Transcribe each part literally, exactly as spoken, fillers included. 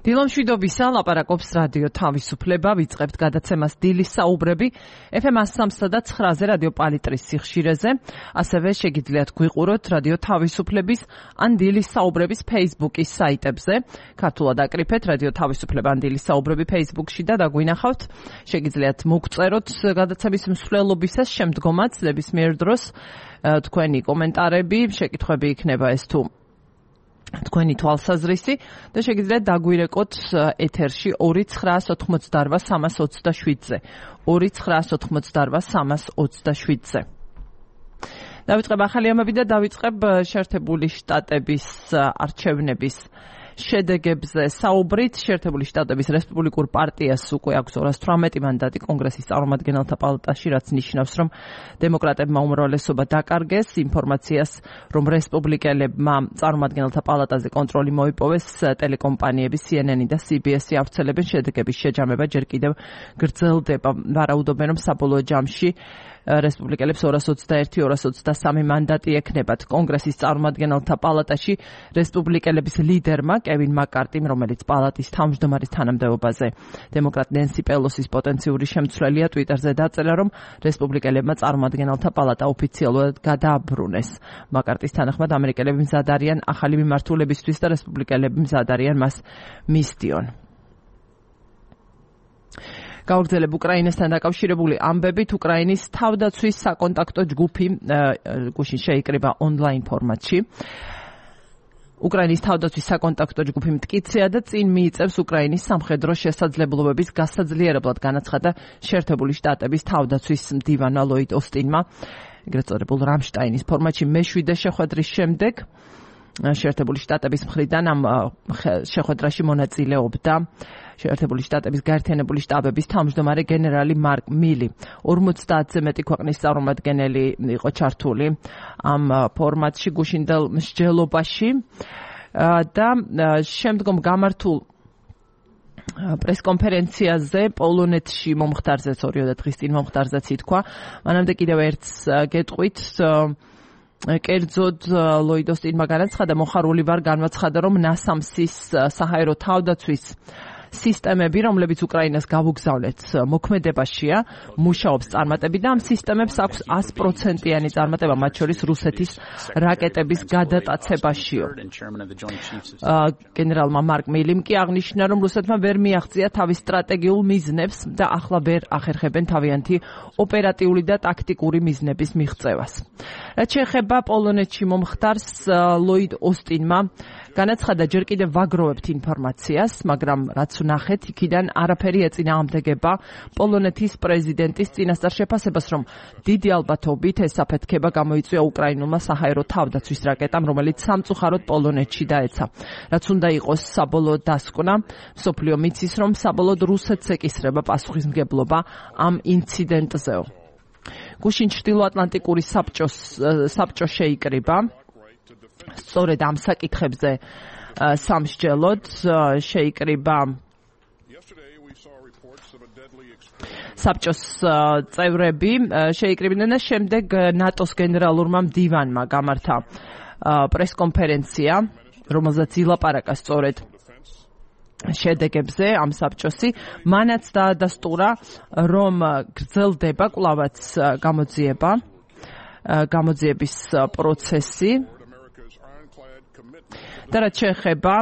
დილომშვიდობისა ლაპარაკობს რადიო თავისუფლება, ვიწყებთ გადაცემას დილის საუბრები ეფ ემ one oh three და nine-ზე რადიო პალიტრის სიხშირეზე, ასევე შეგიძლიათ გვიყუროთ რადიო თავისუფლების ან დილის საუბრების Facebook-ის საიტებზე. ქართულად აკრიფეთ რადიო თავისუფლება ან დილის საუბრები Facebook-ში და დაგვინახავთ. შეგიძლიათ მოგწეროთ გადაცემის მსვლელობისას შემდგომაც ნებისმიერ დროს თქვენი კომენტარები, შეკითხვები იქნება ეს თუ თქვენი თვალსაზრისი და შეგიძლიათ დაგვირეკოთ ეთერში ორი ცხრაას ოთხმოცდაორვა სამას ოცდაშვიდზე. ორი ცხრაას ოთხმოცდაორვა სამას ოცდაშვიდზე. დავიწყებ ახალი ამბები და დავიწყებ შეერთებული შტატების არჩევნების შედეგებზე საუბრით. შეერთებული შტატების რესპუბლიკურ პარტიას უკვე აქვს ორას თვრამეტი მანდატი კონგრესის წარმომადგენელთა პალატაში, რაც ნიშნავს, რომ დემოკრატებმა უმრავლესობა დაკარგეს. ინფორმაციას, რომ რესპუბლიკელებმა წარმომადგენელთა პალატაზე კონტროლი მოიპოვეს, ტელეკომპანიები C N N და C B S ავრცელებენ. შედეგების შეჯამება ჯერ კიდევ გრძელდება. ვარაუდობენ, რომ საბოლოო ჯამში რესპუბლიკელებს ორას ოცდაერთი ორას ოცდასამი მანდატი ექნებათ. კონგრესის წარმომადგენელთა პალატაში რესპუბლიკელების ლიდერმა კევინ მაკ-კარტიმ, რომელიც პალატის თავმჯდომარის თანამდებობაზე დემოკრატ ნენსი პელოსის პოტენციური შემცვლელია, ტვიტერზე დაწერა, რომ რესპუბლიკელებმა წარმომადგენელთა პალატა ოფიციალურად გადააბრუნეს. მაკ-კარტის თანახმად ამერიკელები მზად არიან ახალი მიმართულებისთვის და რესპუბლიკელები მზად არიან მას მისდიონ. გავრცელებ უკრაინასთან დაკავშირებული ამბებით, უკრაინის თავდაცვის საკონტაქტო ჯგუფი გუშინ შეიკრიბა ონლაინ ფორმატში. უკრაინის თავდაცვის საკონტაქტო ჯგუფი მტკიცეა და წინ მიიწევს უკრაინის სამხედრო შესაძლებლობების გასაძლიერებლად, განაცხადა შეერთებული შტატების თავდაცვის მდივანმა ლოიდ ოსტინმა, ეგრეთ წოდებულ რამშტაინის ფორმატში მეშვიდე შეხვედრის შემდეგ. შეერთებული შტატების მხრიდან ამ შეხვედრაში მონაწილეობდა შეერთებული შტატების გაერთიანებული შტაბების თავმჯდომარე გენერალი მარკ მილი. ორმოცდაათზე მეტი ქვეყნის წარმომადგენელი იყო ჩართული ამ ფორმატში გუშინდელ მსჯელობაში და შემდგომ გამართულ პრესკონფერენციაზე პოლონეთში მომხდარზე ორიოდე დღის წინ მომხდარზეც ითქვა. მანამდე კიდევ ერთს გეტყვით, კერძოდ ლოიდ ოსტინმა განაცხადა, მოხარული ვარ განაცხადა, რომ ნასამსის საჰაერო თავდაცვის სისტემები, რომლებიც უკრაინას გავუგზავნეთ მოქმედებაშია, მუშაობს წარმატებით და ამ სისტემებს აქვს ას პროცენტიანი წარმატება, მათ შორის რუსეთის რაკეტების გადატაცებაშიო. გენერალმა მარკ მილიმ კი აღნიშნა, რომ რუსეთმა ვერ მიაღწია თავის სტრატეგიულ მიზნებს და ახლა ვერ ახერხებენ თავიანთი ოპერატიული და ტაქტიკური მიზნების მიღწევას. რაც შეეხება პოლონეთში მომხდარს, ლოიდ ოსტინმა განაცხადა, ჯერ კიდევ ვაგროვებთ ინფორმაციას, მაგრამ რაც ვნახეთ, იქიდან არაფერი ეწინააღმდეგება პოლონეთის პრეზიდენტის წინასწარ შეფასებას, რომ დიდი ალბათობით ეს აფეთქება გამოიწვია უკრაინულმა საჰაერო თავდაცვის რაკეტამ, რომელიც სამწუხაროდ პოლონეთში დაეცა. რაც უნდა იყოს საბოლოო დასკვნა, მსოფლიო მიცის, რომ საბოლოოდ რუსეთს ეკისრება პასუხისმგებლობა ამ ინციდენტზეო. გუშინ ჩრდილოატლანტიკური საბჭოს საბჭო შეიკრიბა. სწორედ ამ საკითხებზე სამსჯელოდ შეიკრიბა საბჭოს წევრები, შეიკრიბნენ და შემდეგ ნატოს გენერალურმა მდივანმა გამართა პრესკონფერენცია, რომელზეც ილაპარაკა სწორედ შედეგებზე ამ საბჭოსი. მანაც დაადასტურა, რომ გრძელდება კვლავაც გამოძიება, გამოძიების პროცესი. და რაც შეეხება,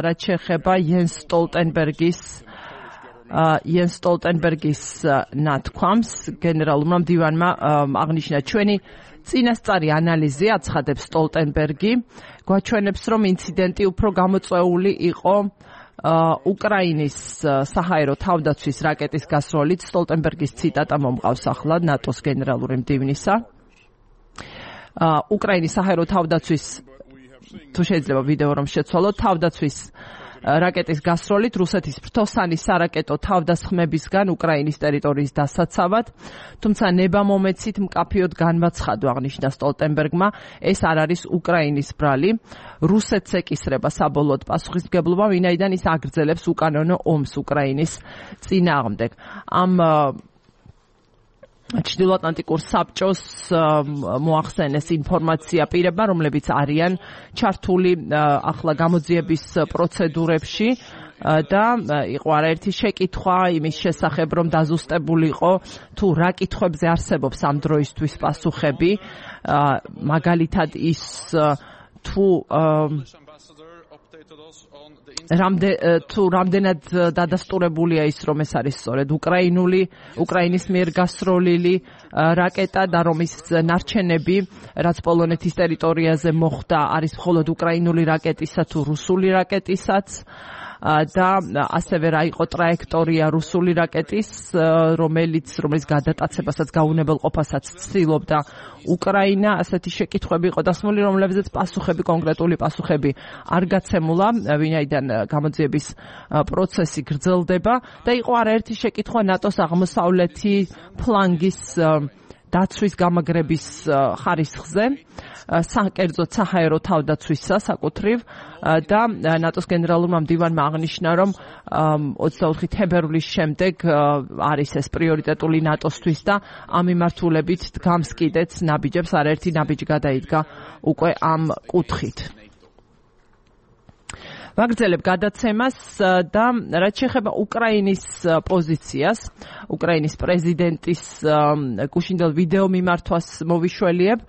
რაც შეეხება იენს სტოლტენბერგის იენს სტოლტენბერგის ნათქვამს, გენერალურმა მდივანმა აღნიშნა, ჩვენი წინასწარი ანალიზი, აცხადებს სტოლტენბერგი, გვაჩვენებს, რომ ინციდენტი უფრო გამოწვეული იყო უკრაინის საჰაერო თავდაცვის რაკეტის გასროლით. სტოლტენბერგის ციტატა მომყავს ახლა ნატოს გენერალური მდივნისა. უკრაინის საჰაერო თავდაცვის, თუ შეიძლება ვიდეო რომ შეცვალოთ, თავდაცვის რაკეტის გასროლით რუსეთის ფრთოსანი სარაკეტო თავდასხმებისგან უკრაინის ტერიტორიის დასაცავად, თუმცა ნებამომეცით მკაფიოდ განვაცხადო, აღნიშნა სტოლტენბერგმა, ეს არ არის უკრაინის ბრალი. რუსეთს ეკისრება საბოლოოდ პასუხისმგებლობა, ვინაიდან ის აგრძელებს უკანონო ომს უკრაინის წინააღმდეგ. ამ ჩრდილოატლანტიკურ საბჭოს მოახსენეს ინფორმაცია პირებმა, რომლებიც არიან ჩართული ახლა გამოძიების პროცედურებში და იყო არაერთი შეკითხვა იმის შესახებ, რომ დაზუსტებული იყო თუ რა კითხვებზე არსებობს ამ დროისთვის პასუხები, მაგალითად ის თუ რამდენ თუ რამდენად დადასტურებულია ის, რომ ეს არის სწორედ უკრაინული უკრაინის მიერ გასროლილი რაკეტა და რომ ის ნარჩენები, რაც პოლონეთის ტერიტორიაზე მოხდა, არის მხოლოდ უკრაინული რაკეტისა თუ რუსული რაკეტისაც და ასევე რა იყო ტრაექტორია რუსული რაკეტის, რომელიც რომელიც გადატაცებასაც გაუნებელყოფასაც ცდილობდა უკრაინა. ასეთი შეკითხვები იყო დასმული, რომლებზეც პასუხები, კონკრეტული პასუხები არ გაცემულა, ვინაიდან გამოძიების პროცესი გრძელდება და იყო არაერთი შეკითხვა ნატოს აღმოსავლეთი ფლანგის დაცვის გამაგრების ხარისხზე, საკერძოდ საჰაერო თავდაცვისა საკუთრივ და ნატოს გენერალურმა მდივანმა აღნიშნა, რომ ოცდაოთხი თებერვლის შემდეგ არის ეს პრიორიტეტული ნატოსთვის და ამ მიმართულებით დგამს კიდეც ნაბიჯებს, არაერთი ნაბიჯი გადაიდგა უკვე ამ კუთხით. ვაგრძელებ გადაცემას და რაც შეეხება უკრაინის პოზიციას, უკრაინის პრეზიდენტის გუშინდელ ვიდეო მიმართვას მოვიშველიებ,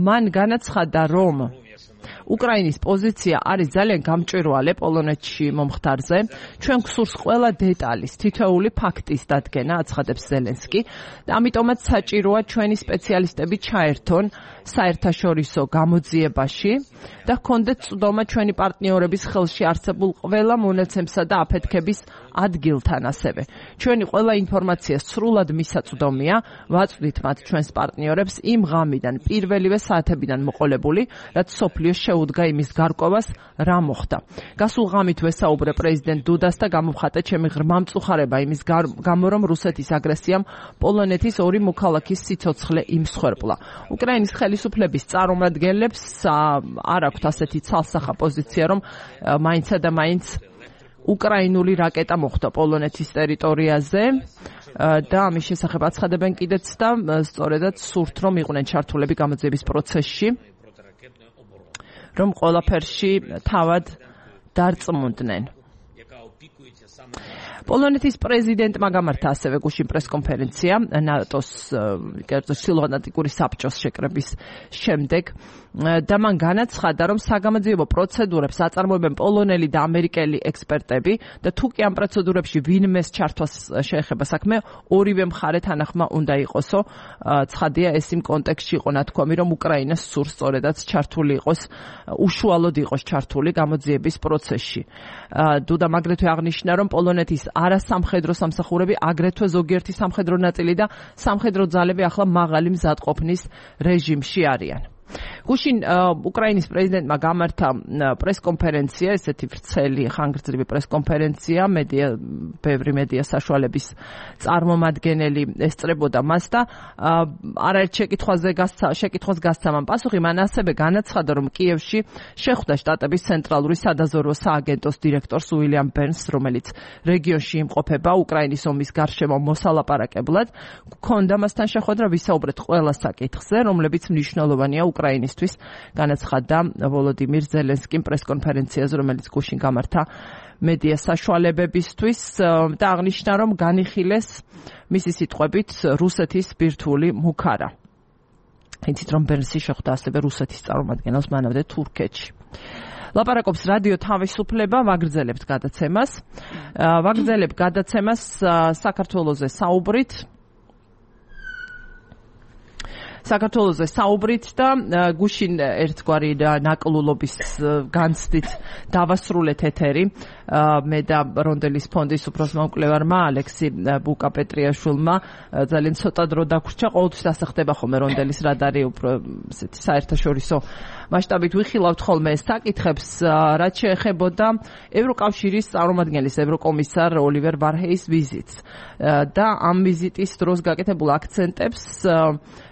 მან განაცხადა, რომ უკრაინის პოზიცია არის ძალიან გამჭვირვალე პოლონეთში მომხდარზე. ჩვენ გვსურს ყველა დეტალის, თითოეული ფაქტის დადგენა, აცხადებს ზელენსკი და ამიტომაც საჭიროა ჩვენი სპეციალისტები ჩაერთონ საერთაშორისო გამოძიებაში და ჰქონდეთ წვდომა ჩვენი პარტნიორების ხელში არსებულ ყველა მონაცემსა და აფეთქების ადგილთან ასევე. ჩვენი ყველა ინფორმაცია სრულად მისაწვდომია, ვაწვდით მათ ჩვენს პარტნიორებს იმ ღამიდან, პირველივე საათებიდან მოყოლებული, რაც სოფლიო შეუდგა იმის გარკვევას, რა მოხდა. გასულ ღამით ვესაუბრე პრეზიდენტ დუდას და გამოვხატე ჩემი ღრმა მწუხარება იმის გამო, რომ რუსეთის აგრესიამ პოლონეთის ორი მოქალაქის სიცოცხლე იმსხვერპლა. უკრაინის ხელისუფლების წარმომადგენლებს არ აქვთ ასეთი ცალსახა პოზიცია, რომ მაინცა და მაინც უკრაინული რაკეტა მოხვდა პოლონეთის ტერიტორიაზე და ამის შესახებ აცხადებენ კიდეც და სწორედაც სურთ, რომ იყვნენ ჩართულები გამოძიების პროცესში, რომ ყველაფერში თავად დარწმუნდნენ. პოლონეთის პრეზიდენტმა გამართა ასევე გუშინ პრესკონფერენცია ნატოს ჩრდილოატლანტიკური საბჭოს შეკრების შემდეგ და მან განაცხადა, რომ საგამოძიებო პროცედურებს აწარმოებენ პოლონელი და ამერიკელი ექსპერტები და თუ კი ამ პროცედურებში ვინმეს ჩართვას შეეხება საქმე, ორივე მხარე თანახმა უნდა იყოსო. ცხადია, ეს იმ კონტექსტში იყო ნათქვამი, რომ უკრაინა სურს სწორედაც ჩართული იყოს, უშუალოდ იყოს ჩართული გამოძიების პროცესში. დუდამ აგრეთვე აღნიშნა, რომ პოლონეთის არასამხედრო სამსახურები, აგრეთვე ზოგიერთი სამხედრო ნაწილი და სამხედრო ძალები ახლა მაღალი მზადყოფნის რეჟიმში არიან. გუშინ უკრაინის პრეზიდენტმა გამართა პრესკონფერენცია, ესეთი ვრცელი ხანგრძლივი პრესკონფერენცია, მედია ბევრი მედია საშუალების წარმომადგენელი ესწრებოდა მას და არაერთ შეკითხვაზე შეკითხვას გასცა მან პასუხი. მან ასევე განაცხადა, რომ კიევში შეხვდა შტატების ცენტრალური სადაზვერვო სააგენტოს დირექტორს უილიამ ბერნს, რომელიც რეგიონში იმყოფება უკრაინის ომის გარშემო მოსალაპარაკებლად. გქონდა მასთან შეხვედრა, ვისაუბრეთ ყველა საკითხზე, რომლებიც მნიშვნელოვანია უკრაინისთვის, განაცხადა ვოლოდიმირ ზელენსკიმ პრესკონფერენციაზე, რომელიც გუშინ გამართა მედია საშუალებებისთვის და აღნიშნა, რომ განიხილეს მისი სიტყვებით რუსეთის ბირთვული მუქარა. იცით, რომ ბერნსი შეხვდა ასევე რუსეთის წარმომადგენელს მანამდე თურქეთში. ლაპარაკობს რადიო თავისუფლება, ვაგრძელებთ გადაცემას. ვაგრძელებთ გადაცემას საქართველოზე საუბრით. საქართველოზე საუბრით და გუშინ ერთგვარი ნაკლულობის განცდით დავასრულეთ ეთერი. მე და რონდელის ფონდის უფროსმომკვლევარმა ალექსი ბუკა-პეტრიაშვილმა ძალიან ცოტა დრო დაგვრჩა. ყოველთვის ასახდება ხოლმე რონდელის რადარი უფრო ესეთი საერთაშორისო მასშტაბით ვიხილავთ ხოლმე საკითხებს, რაც შეეხებოდა ევროკავშირის წარმომადგენლის ევროკომისარ ოლივერ ვარჰეის ვიზიტს და ამ ვიზიტის დროს გაკეთებულ აქცენტებს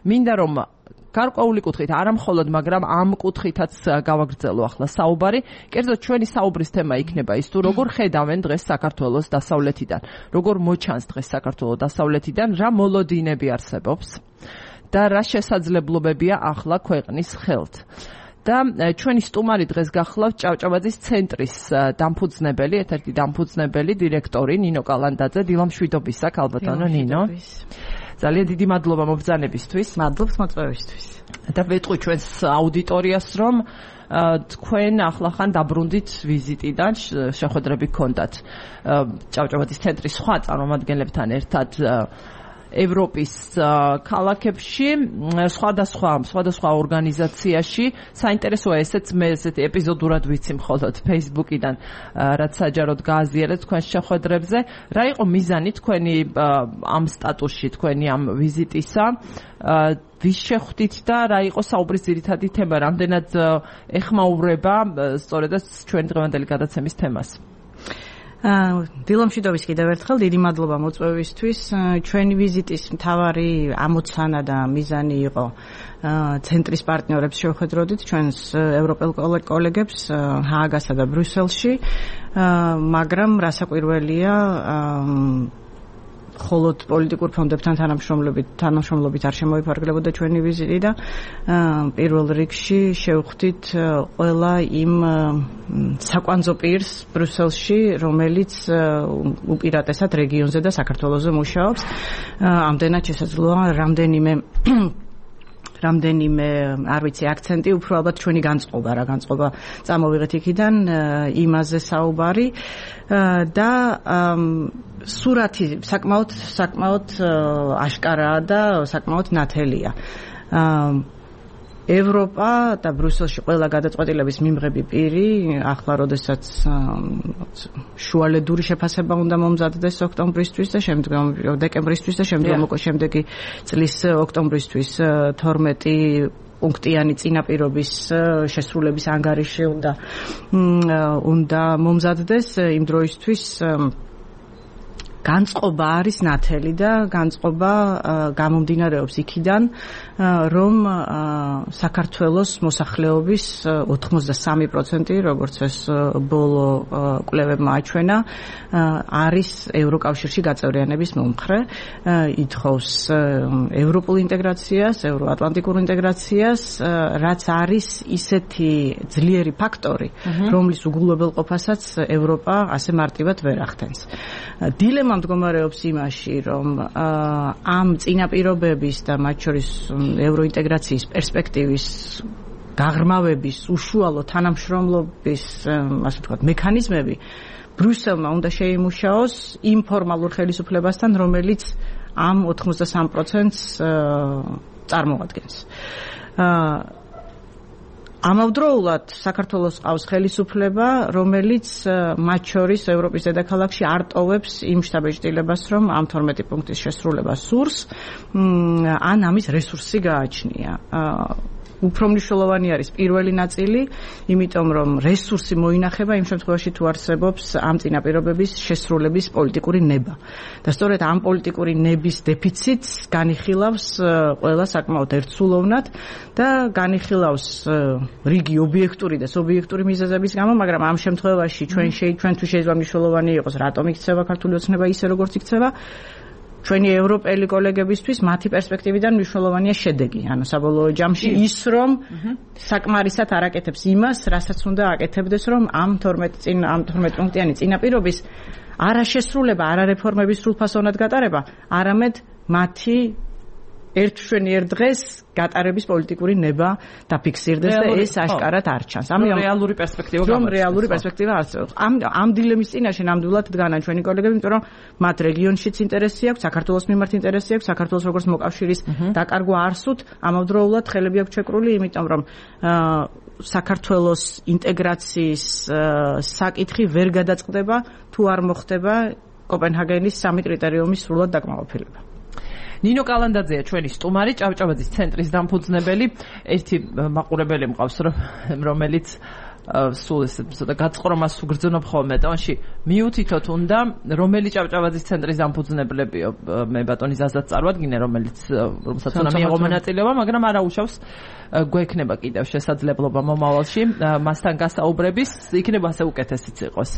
მინდა რომ გარკვეული კუთხით, არა მხოლოდ, მაგრამ ამ კუთხითაც გავაგრძელო ახლა საუბარი. კერძოდ ჩვენი საუბრის თემა იქნება ის, თუ როგორ ხედავენ დღეს საქართველოს დასავლეთიდან, როგორ მოჩანს დღეს საქართველოს დასავლეთიდან, რა მოლოდინები არსებობს და რა შესაძლებლობებია ახლა ქვეყნის ხელთ. და ჩვენი სტუმარი დღეს გახლავთ ჭავჭავაძის ცენტრის დამფუძნებელი, ერთ-ერთი დამფუძნებელი დირექტორი ნინო კალანდაძე. დილამშვიდობის აქ ალბათანო ნინო. ძალიან დიდი მადლობა მობრძანებისთვის. მადლობს მოწვევისთვის. და ვეტყვი ჩვენს აუდიტორიას, რომ თქვენ ახლახან დაბრუნდით ვიზიტიდან, შეხვედრები გქონდათ ჭავჭავაძის ცენტრის სხვა წარმომადგენლებთან ერთად ევროპის ქალაქებში, სხვადასხვა სხვადასხვა ორგანიზაციაში. საინტერესოა ესეც, მე ესეთი ეპიზოდურად ვიცი მხოლოდ Facebook-იდან, რაც საჯაროდ გააზიარეთ თქვენს შეხვედრებზე. რა იყო მიზანი თქვენი ამ სტატუსში, თქვენი ამ ვიზიტისა? ვის შეხვდით და რა იყო საუბრის ძირითადი თემა? რამდენად ეხმაურება სწორედაც ჩვენ დღევანდელი გადაცემის თემას? დილამშვიდობის კიდევ ერთხელ, დიდი მადლობა მოწვევისთვის. ჩვენი ვიზიტის მთავარი ამოცანა და მიზანი იყო ცენტრის პარტნიორებს შევხვედროდით, ჩვენს ევროპელ კოლეგებს ჰააგასა და ბრიუსელში, მაგრამ რასაკვირველია, მხოლოდ პოლიტიკურ ფონდებთან თანამშრომლობით თანამშრომლობით არ შემოიფარგლებოდა ჩვენი ვიზიტი და პირველ რიგში შევხვდით ყველა იმ საკვანძო პირს ბრიუსელში, რომელიც უპირატესად რეგიონზე და საქართველოზე მუშაობს. ამდენად შესაძლოა რამდენიმე რამდენიმე, არ ვიცი, აქცენტი, უფრო ალბათ ჩვენი განწყობა, რა განწყობა წამოვიღეთ იქიდან, იმაზე საუბარი და სურათი საკმაოდ საკმაოდ აშკარაა და საკმაოდ ნათელია. ევროპა და ბრიუსელში ყველა გადაწყვეტილების მიმღები პირი, ახლა როდესაც შუალედური შეფასება უნდა მომზადდეს ოქტომბრისთვის და შემდგომ დეკემბრისთვის და შემდგომ უკვე შემდეგი წლის ოქტომბრისთვის თორმეტი პუნქტიანი წინაპირობის შესრულების ანგარიში უნდა უნდა მომზადდეს. იმ დროისთვის განწყობა არის ნათელი და განწყობა გამომდინარეობს იქიდან, რომ საქართველოს მოსახლეობის ოთხმოცდასამი პროცენტი, როგორც ეს ბოლო კვლევებმა აჩვენა, არის ევროკავშირში გაწევრიანების მომხრე, ითხოვს ევროპულ ინტეგრაციას, ევროატლანტიკურ ინტეგრაციას, რაც არის ისეთი ძლიერი ფაქტორი, რომლის უგულებელყოფასაც ევროპა ასე მარტივად ვერ ახდენს. დილემა მდგომარეობს იმაში, რომ ამ წინაპირობების და მათ შორის ევროინტეგრაციის პერსპექტივის გაღრმავების უშუალო თანამშრომლობის, ასე ვთქვათ, მექანიზმები ბრიუსელმა უნდა შეიმუშაოს იმ ფორმალურ ხელისუფლებასთან, რომელიც ამ ოთხმოცდასამ პროცენტს წარმოადგენს. ამავდროულად საქართველოს ყავს ხელისუფლება, რომელიც მათ შორის ევროპის დედაქალაქში არ ტოვებს იმ შტაბ-ეჭდილებას, რომ ამ თორმეტი პუნქტის შესრულება სურს, ან ამის რესურსი გააჩნია. უფრო მნიშვნელოვანი არის პირველი ნაწილი, იმიტომ რომ რესურსი მოინახება იმ შემთხვევაში, თუ არსებობს ამ წინაპირობების შესრულების პოლიტიკური ნება. და სწორედ ამ პოლიტიკური ნების დეფიციტს განიხილავს ყველა საკმაოდ ერთსულოვნად და განიხილავს რიგი ობიექტური და სუბიექტური მიზეზების გამო, მაგრამ ამ შემთხვევაში ჩვენ ჩვენთვის შეიძლება მნიშვნელოვანი იყოს, რატომ იქცევა ქართული ოცნება ისე, როგორც იქცევა. ჩვენი ევროპელი კოლეგებისთვის მათი პერსპექტივიდან მნიშვნელოვანია შედეგი, ანუ საბოლოო ჯამში ის, რომ საკმარისად არ აკეთებს იმას, რასაც უნდა აკეთებდეს, რომ ამ თორმეტი წინ ამ თორმეტი პუნქტიანი წინაპირობის არაშესრულება, არარეფორმების სრულფასოვნად გატარება, არამედ მათი ერთშვენიერ დღეს გატარების პოლიტიკური ნება დაფიქსირდეს და ეს აშკარად არ ჩანს. ამიტომ რეალური პერსპექტივა რომ რეალური პერსპექტივა არსებობს. ამ ამ დილემის წინაშე ნამდვილად დგანან ჩვენი კოლეგები, იმიტომ რომ მათ რეგიონშიც ინტერესი აქვს, საქართველოს მიმართ ინტერესი აქვს, საქართველოს როგორც მოკავშირის დაკარგვა არ სურთ, ამავდროულად ხელები აქვს ჩეკრული, იმიტომ რომ საქართველოს ინტეგრაციის საკითხი ვერ გადაწყდება, თუ არ მოხდება კოპენჰაგენის სამი კრიტერიუმის სრულად დაკმაყოფილება. ნინო კალანდაძეა ჩვენი სტუმარი, ჭავჭავაძის ცენტრის დამფუძნებელი. ერთი მაყურებელი მყავს, რომელიც სულ ეს ცოტა გაწყრომას უგრძნობ ხოლმე ტონში მიუთითოთ უნდა რომელი ჭავჭავაძის ცენტრის დამფუძნებლებიო მე ბატონი ზაზად წარვადგინე რომელიც რომელსაც უნდა მიიღო მონაწილეობა მაგრამ არა უშავს გვექნება კიდევ შესაძლებლობა მომავალში მასთან გასაუბრების იქნება ასე უკეთესიც იყოს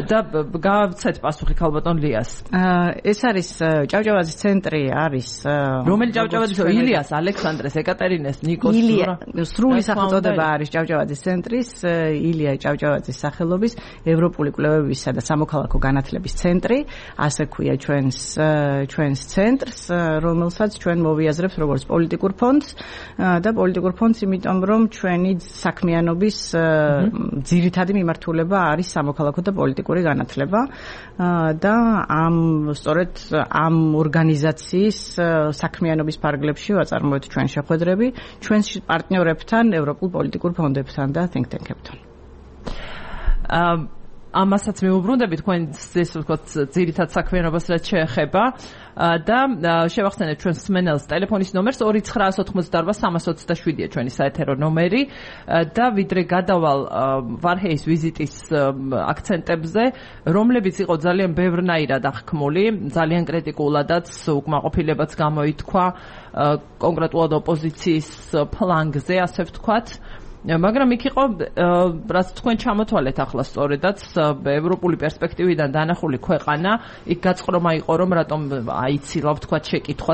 და გავცეთ პასუხი ქალბატონ ლიას ეს არის ჭავჭავაძის ცენტრი არის რომელი ჭავჭავაძისო ილიას ალექსანდრეს ეკატერინეს ნიკოს ილია სრული სახელწოდება არის ჭავჭავაძის ცენტრის ილია ჭავჭავაძის სახელობის ევროპული კვლევებისა და სამოქალაქო განათლების ცენტრი ასე ქვია ჩვენს ჩვენს ცენტრს რომელსაც ჩვენ მოვიაზრებთ როგორც პოლიტიკურ ფონდს და პოლიტიკურ ფონდს იმიტომ რომ ჩვენი საქმიანობის ძირითადი მიმართულება არის სამოქალაქო და პოლიტიკური განათლება და ამ სწორედ ამ ორგანიზაციის საქმიანობის ფარგლებში ვაწარმოებთ ჩვენ შეხვედრები ჩვენს პარტნიორებთან ევროპულ პოლიტიკურ ფონდებთან და think tank-ებთან ამასაც მეუბრუნდები თქვენ ეს ვთქვათ ძირითად საქმიანობას რაც შეეხება და შევახსენეთ ჩვენს მსმენელს ტელეფონის ნომერს ორი ცხრაას ოთხმოცდაარბა სამას ოცდაშვიდია ჩვენი საეთერო ნომერი და ვიდრე გადავალ ვარჰეის ვიზიტის აქცენტებზე რომლებიც იყო ძალიან ბევრნაირად აღქმული ძალიან კრიტიკულადაც უკმაყოფილებაც გამოითქვა კონკრეტულად ოპოზიციის ფლანგზე ასე ვთქვათ მაგრამ იქ იყო რაც თქვენ ჩამოთვალეთ ახლა სწორედაც ევროპული პერსპექტივიდან დანახული ქვეყანა იქ გაწყრომა იყო რომ რატომ აიცილა ვთქვათ შეკითხვა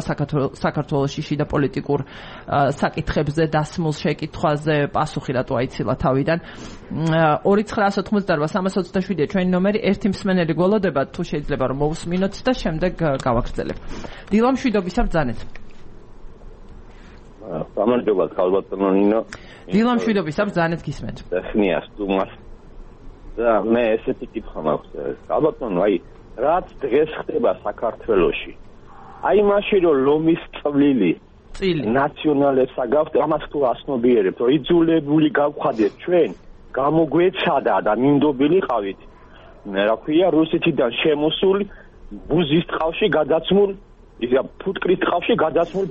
საქართველოში შიდა პოლიტიკურ საკითხებზე დასმულ შეკითხვაზე პასუხი რატო აიცილა თავიდან ორი ცხრაას ოთხმოცდაარბა სამას ოცდაშვიდია ჩვენი ნომერი ერთი მსმენელი გველოდება თუ შეიძლება რომ მოვუსმინოთ და შემდეგ გავაგრძელებ დილა მშვიდობისა ბრძანეთ გამარჯობა ქალბატონო ნინო დილა მშვიდობისა ბრძანეთ გისმენთ ხნიას თუმას და მე ესეთი კითხვა მაქვს ქალბატონო აი რაც დღეს ხდება საქართველოში აი მაშინ რომ ლომის წვლილი წილი ნაციონალებს აგავთ ამას თუ ასნობიერებთ რომ იძულებული გავხადეთ ჩვენ გამოგვეცადა და მინდობილიყავით მე რა ქვია რუსეთიდან შემოსული ბუზის ტყავში გადაცმულ ისა ფუტკრის ტყავში გადაცმულ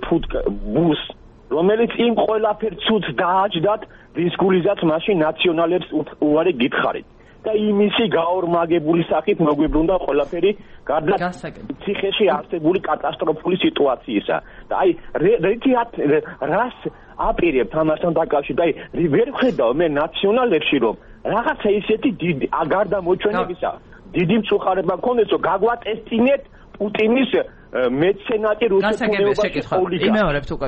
ბუს რომელიც იმ ყველაფერ ცუდს დააჯდათ რის გულიზაც მაშინ ნაციონალებს უარი გითხარით და იმისი გაორმაგებული სახით მოგვიბრუნდა ყველაფერი გარდა ციხეში არსებული კატასტროფული სიტუაციისა და აი რას აპირებთ ამასთან დაკავშირებით აი ვერ ვხედავ მე ნაციონალებში რომ რაღაცა ისეთი დიდი გარდა მოჩვენებისა დიდი მწუხარება მქონდეს რომ გაგვატესტინეთ პუტინის მეცენატი რუსეთის პოლიტიკა. იმეორებთ უკვე.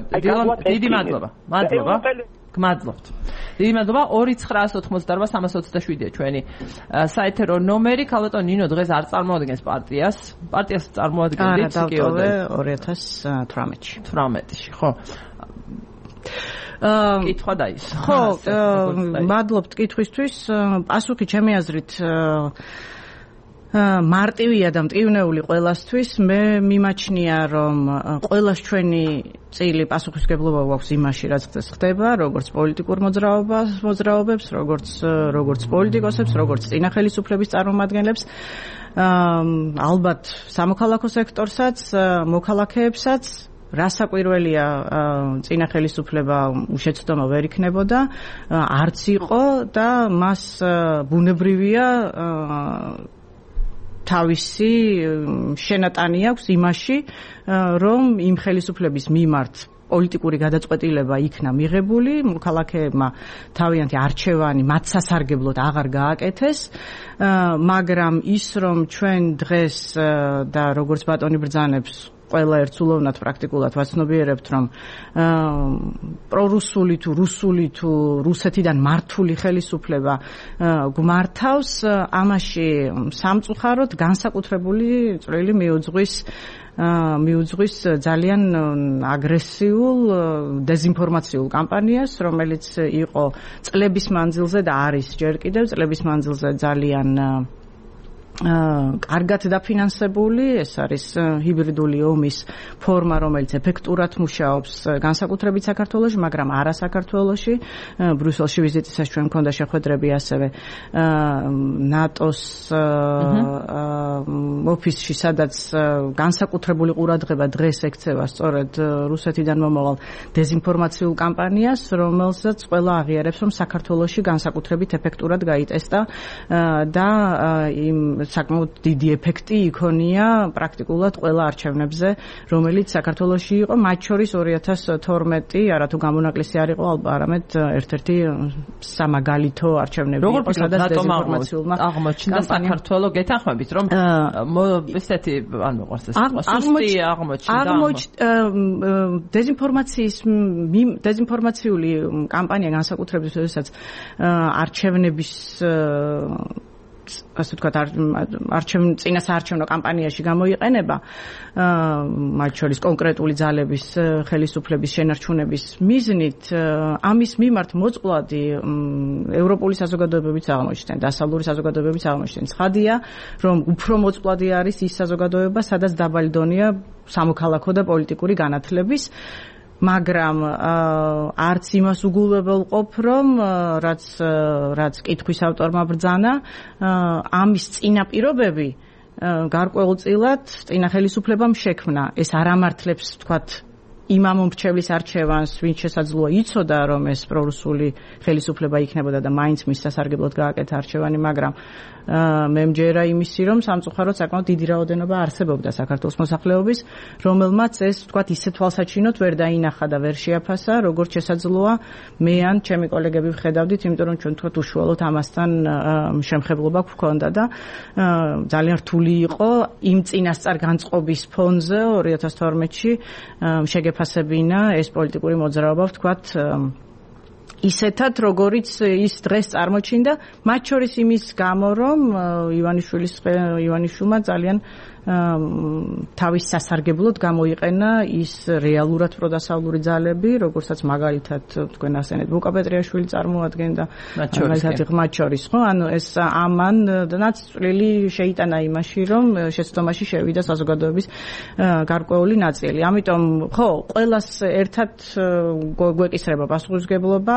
დიდი მადლობა. მადლობა. გმადლობთ. დიდი მადლობა. ორი ცხრაას ოთხმოცდაარბა სამას ოცდაშვიდია ჩვენი საეთერო ნომერი. ქალბატონ ნინო დღეს არ წარმოადგენს პარტიას. პარტიას წარმოადგენთ კიოდე ორი ათას თვრამეტში. თვრამეტში, ხო. აა კითხვა დაის. ხო, მადლობთ კითხვისთვის. პასუხი ჩემი აზრით მარტივია და მტკივნეული ყველასთვის მე მიმაჩნია რომ ყველას ჩვენი წილი პასუხისგებლობა გვაქვს იმაში რაც ხდეს ხდება როგორც პოლიტიკურ მოძრაობას მოძრაობებს როგორც როგორც პოლიტიკოსებს როგორც წინა ხელისუფლების წარმომადგენლებს ალბათ სამოქალაქო სექტორსაც მოქალაქეებსაც რასაკვირველია წინა ხელისუფლება უშეცდომა ვერ იქნებოდა არც იყო და მას ბუნებრივია თავისი შენატანი აქვს იმაში, რომ იმ ხელისუფლების მიმართ პოლიტიკური გადაწყვეტილება იქნა მიღებული, მოქალაქეებმა თავიანთი არჩევანი მათ სასარგებლოდ აღარ გააკეთეს, მაგრამ ის რომ ჩვენ დღეს და როგორც ბატონი ბრძანებს ყველა ერთსულოვნად პრაქტიკულად ვაცნობიერებთ რომ პრორუსული თუ რუსული თუ რუსეთიდან მართული ხელისუფლება გვმართავს ამაში სამწუხაროდ განსაკუთრებული წვლილი მიუძღვის მიუძღვის ძალიან აგრესიულ დეზინფორმაციულ კამპანიას რომელიც იყო წლების მანძილზე და არის ჯერ კიდევ წლების მანძილზე ძალიან კარგად დაფინანსებული, ეს არის ჰიბრიდული ომის ფორმა, რომელიც ეფექტურად მუშაობს განსაკუთრებით საქართველოში, მაგრამ არა საქართველოში. ბრიუსელში ვიზიტისას ჩვენ მქონდა შეხვედრები ასევე ნატოს ოფისში, სადაც განსაკუთრებული ყურადღება დღეს ექცევა სწორედ რუსეთიდან მომავალ დეზინფორმაციულ კამპანიას, რომელსაც ყველა აღიარებს, რომ საქართველოში განსაკუთრებით ეფექტურად გაიტესტა და იმ საკმაოდ დიდი ეფექტი იქონია პრაქტიკულად ყველა არჩევნებზე, რომელიც საქართველოში იყო, მათ შორის ორი ათას თორმეტი, არათუ გამონაკლისი არ იყო, არამედ ერთ-ერთი სამაგალითო არჩევნები იყო, სადაც დეზინფორმაციულმა აღმოჩნდა საქართველოს, გეთანხმებით, რომ ესეთი არ მეყვარს ეს სუსტი აღმოჩნდა. დეზინფორმაციის დეზინფორმაციული კამპანია განსაკუთრებით, როდესაც არჩევნების ასე ვთქვათ, არჩევნ წინა საარჩევნო კამპანიაში გამოიყენება, მათ შორის კონკრეტული ძალების ხელისუფლების შენარჩუნების მიზნით, ამის მიმართ მოწყვლადი ევროპული საზოგადოებებიც აღმოჩნდნენ, დასავლური საზოგადოებებიც აღმოჩნდნენ. ცხადია, რომ უფრო მოწყვლადი არის ის საზოგადოება, სადაც დაბალი დონეა სამოქალაქო და პოლიტიკური განათლების, მაგრამ არც იმას უგულებელყოფ, რომ რაც რაც კითხვის ავტორმა ბრძანა, ამის წინაპირობები გარკვეულწილად წინა ხელისუფლებამ შექმნა. ეს არ ამართლებს, ვთქვათ, იმ ამომრჩევლის არჩევანს, ვინც შესაძლოა იცოდა, რომ ეს პრორუსული ხელისუფლება იქნებოდა და მაინც მის სასარგებლოდ გააკეთა არჩევანი, მაგრამ მე მჯერა იმისი, რომ სამწუხაროდ საკმაოდ დიდი რაოდენობა არსებობდა საქართველოს მოსახლეობის, რომელმაც ეს, ვთქვათ, ისე თვალსაჩინოდ ვერ დაინახა და ვერ შეაფასა, როგორც შესაძლოა მე ან ჩემი კოლეგები ვხედავდით, იმიტომ რომ ჩვენ, ვთქვათ, უშუალოდ ამასთან შემხებლობა გვქონდა და ძალიან რთული იყო იმ წინასწარ განწყობის ფონზე ორი ათას თორმეტში შეგეფასებინა ეს პოლიტიკური მოძრაობა, ვთქვათ, ისეთად, როგორიც ის დღეს წარმოჩინდა, მათ შორის იმის გამო, რომ ივანიშვილის ივანიშვილმა ძალიან თავის სასარგებლოდ გამოიყენა ის რეალურად პროდასავლური ძალები, როგორცაც მაგალითად თქვენ ასენეთ ბუკა პეტრიაშვილი წარმოადგენდა, მაგალითად მათ შორის, ხო, ანუ ეს ამანაც წვლილი შეიტანა იმაში, რომ შეცდომაში შევიდა საზოგადოების გარკვეული ნაწილი. ამიტომ, ხო, ყველას ერთად გვეკისრება პასუხისმგებლობა,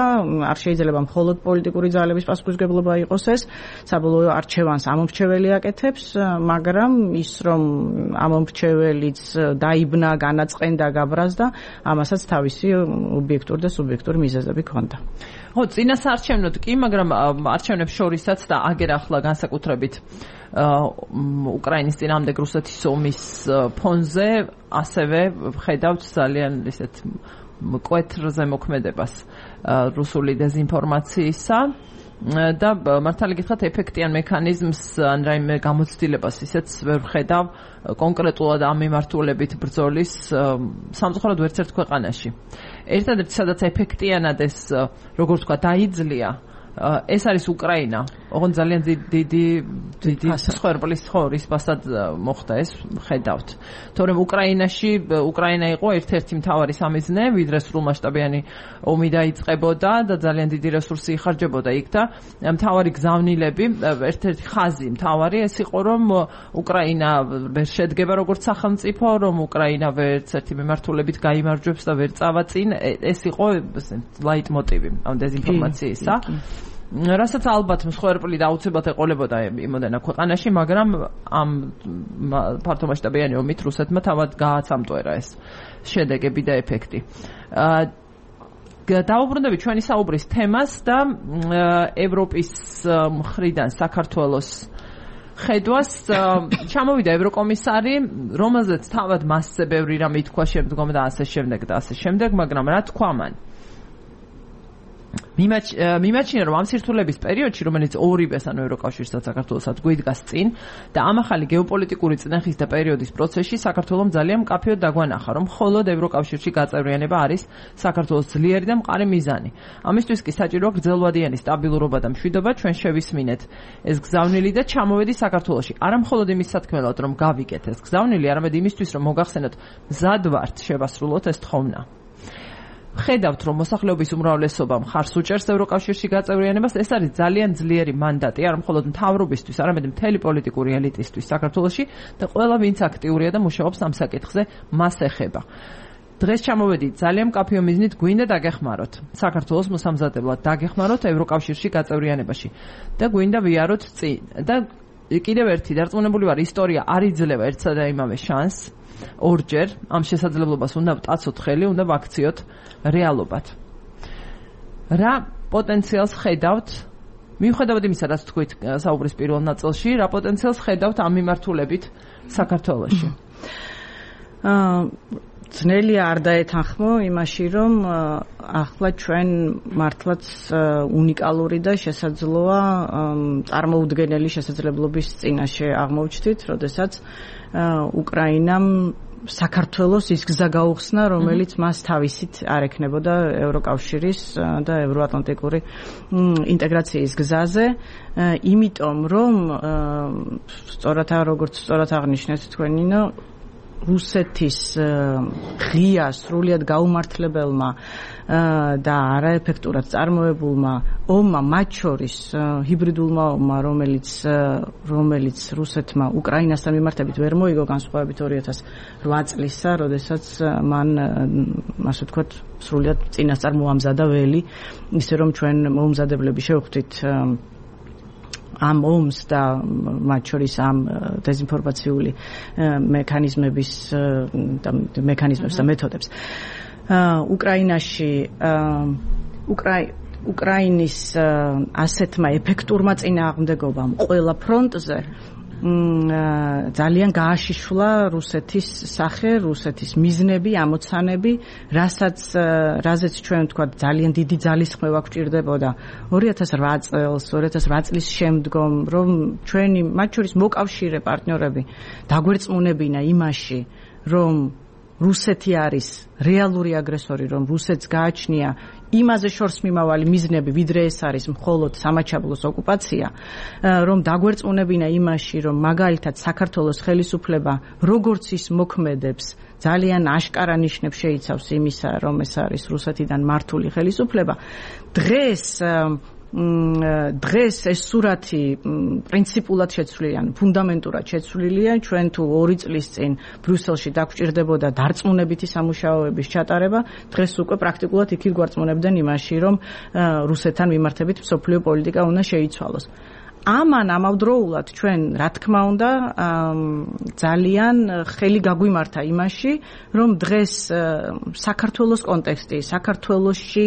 არ შეიძლება მხოლოდ პოლიტიკური ძალების პასუხისმგებლობა იყოს ეს, საბოლოო არჩევანს ამომრჩეველი აკეთებს, მაგრამ ის რომ ამომრჩეველიც დაიბნა, განაწყენდა, გაბრაზდა, ამასაც თავისი ობიექტური და სუბიექტური მიზეზები ჰქონდა. ხო, წინა საარჩევნოდ კი, მაგრამ არჩევნებს შორისაც და აგერ ახლა განსაკუთრებით უკრაინის წინააღმდეგ რუსეთის ომის ფონზე ასევე ხედავთ ძალიან ისეთ მკვეთრზე მოქმედებას რუსული დეზინფორმაციისა და მართალი გითხრათ ეფექტიან მექანიზმს ან რაიმე გამოცდილებას ისეც ვერ ვხედავ კონკრეტულად ამ მიმართულებით ბრძოლის სამწუხაროდ ვერც ერთ ქვეყანაში. ერთადერთი სადაც ეფექტიანად ეს როგორც ვთქვა დაიძლია, ეს არის უკრაინა. ოღონდ ძალიან დიდი დიდი სხერბლის ხორის ბასად მოხდა ეს ხედავთ. თორემ უკრაინაში უკრაინა იყო ერთ-ერთი მთავარი სამიზნე, ვიდრე სრულმასშტაბიანი ომი დაიწყებოდა და ძალიან დიდი რესურსი იხარჯებოდა იქ და მთავარი გზავნილები, ერთ-ერთი ხაზი მთავარი ეს იყო, რომ უკრაინა ვერ შედგება როგორც სახელმწიფო, რომ უკრაინა ვერც ერთი მიმართულებით გაიმარჯვებს და ვერ წავა წინ, ეს იყო ლაიტმოტივი ამ დეზინფორმაციისა. რასაც ალბათ მსხვერპლი და აუცილებლად ეყოლებოდა იმოდენა ქვეყანაში, მაგრამ ამ ფართომასშტაბიანი ომით რუსეთმა თავად გააცამტვერა ეს შედეგები და ეფექტი. დავუბრუნდებით ჩვენი საუბრის თემას და ევროპის მხრიდან საქართველოს ხედვას ჩამოვიდა ევროკომისარი, რომელზეც თავად მასზე ბევრი რამ ითქვა შემდგომ და ასე შემდეგ და ასე შემდეგ, მაგრამ რა თქვა მან? მიმაჩნია, რომ ამ სირთულების პერიოდში, რომელიც ორივეს, ანუ ევროკავშირსა და საქართველოსაც გვიდგას წინ და ამ ახალი გეოპოლიტიკური წნეხის და პერიოდის პროცესში საქართველოს ძალიან მკაფიოდ დაგვანახა, რომ მხოლოდ ევროკავშირში გაწევრიანება არის საქართველოს ძლიერი და მყარი მიზანი. ამისთვის კი საჭიროა გრძელვადიანი სტაბილურობა და მშვიდობა, ჩვენ შევისმინეთ ეს გზავნილი და ჩამოვედი საქართველოში. არა მხოლოდ იმის სათქმელად, რომ გავიგეთ ეს გზავნილი, არამედ იმისთვის, რომ მოგახსენოთ, მზად ვართ შევასრულოთ ეს თხოვნა. ხედავთ, რომ მოსახლეობის უმრავლესობა მხარს უჭერს ევროკავშირში გაწევრიანებას, ეს არის ძალიან ძლიერი მანდატი, არა მხოლოდ მთავრობისთვის, არამედ მთელი პოლიტიკური ელიტისთვის საქართველოში და ყველა ვინც აქტიურია და მუშაობს ამ საკითხზე, მას ეხება. დღეს ჩამოვედით ძალიან მკაფიო მიზნით, გვინდა დაგეხმაროთ საქართველოს მოსამზადებლად, დაგეხმაროთ ევროკავშირში გაწევრიანებაში და გვინდა ვიაროთ წინ. და კიდევ ერთი დარწმუნებული ვარ, ისტორია არ იძლევა ერთსა და იმავე შანსს ორჯერ, ამ შესაძლებლობას უნდა ვტაცოთ ხელი, უნდა ვაქციოთ რეალობად. რა პოტენციალს ხედავთ, მიუხედავად იმისა, რაც თქვით საუბრის პირველ ნაწილში, რა პოტენციალს ხედავთ ამ მიმართულებით საქართველოში? აა ძნელია არ დაეთანხმო იმაში, რომ ახლა ჩვენ მართლაც უნიკალური და შესაძლოა წარმოუდგენელი შესაძლებლობის წინაშე აღმოჩნდით, როდესაც უკრაინამ საქართველოს ის გზა გაუხსნა, რომელიც მას თავისით არ ექნებოდა ევროკავშირის და ევროატლანტიკური ინტეგრაციის გზაზე, იმიტომ რომ სწორად როგორც სწორად აღნიშნეთ თქვენინო, რუსეთის ღია სრულიად გაუმართლებელმა და არაეფექტურად წარმოებულმა ომმა, მათ შორის ჰიბრიდულმა ომმა, რომელიც რომელიც რუსეთმა უკრაინასთან მიმართებით ვერ მოიგო განსხვავებით ორი ათას რვა წლისა, როდესაც მან ასე ვთქვათ სრულიად წინასწარ მოამზადა ველი, ისე რომ ჩვენ მოუმზადებლები შევხვდით ამ ომს და მათ შორის ამ დეზინფორმაციული მექანიზმების და მექანიზმებს და მეთოდებს. უკრაინაში უკრაინის ასეთმა ეფექტურმა წინააღმდეგობამ ყველა ფრონტზე ძალიან გააშიშვლა რუსეთის სახე, რუსეთის მიზნები, ამოცანები, რასაც რაზეც ჩვენ ვთქვათ ძალიან დიდი ძალისხმევა გვჭირდებოდა ორი ათას რვა წელს, ორი ათას რვა წლის შემდგომ, რომ ჩვენი მათ შორის მოკავშირე პარტნიორები დაგვერწმუნებინა იმაში, რომ რუსეთი არის რეალური აგრესორი, რომ რუსეთს გააჩნია იმაზე შორს მიმავალი მიზნები, ვიდრე ეს არის მხოლოდ სამაჩაბლოს ოკუპაცია, რომ დაგვერწმუნებინა იმაში, რომ მაგალითად საქართველოს ხელისუფლება როგორც ის მოქმედებს, ძალიან აშკარა ნიშნებს შეიცავს იმისა, რომ ეს არის რუსეთიდან მართული ხელისუფლება. დღეს დღეს ეს სურათი პრინციპულად შეცვლილია, ფუნდამენტურად შეცვლილია. ჩვენ თუ ორი წლის წინ ბრიუსელში დაგვჭირდებოდა დარწმუნებითი სამუშაოების ჩატარება, დღეს უკვე პრაქტიკულად იქით გვარწმუნებდნენ იმაში, რომ რუსეთთან მიმართებით მსოფლიო პოლიტიკა უნდა შეიცვალოს. ამან ამავდროულად ჩვენ, რა თქმა უნდა, ძალიან ხელი გაგვიმართა იმაში, რომ დღეს საქართველოს კონტექსტი, საქართველოში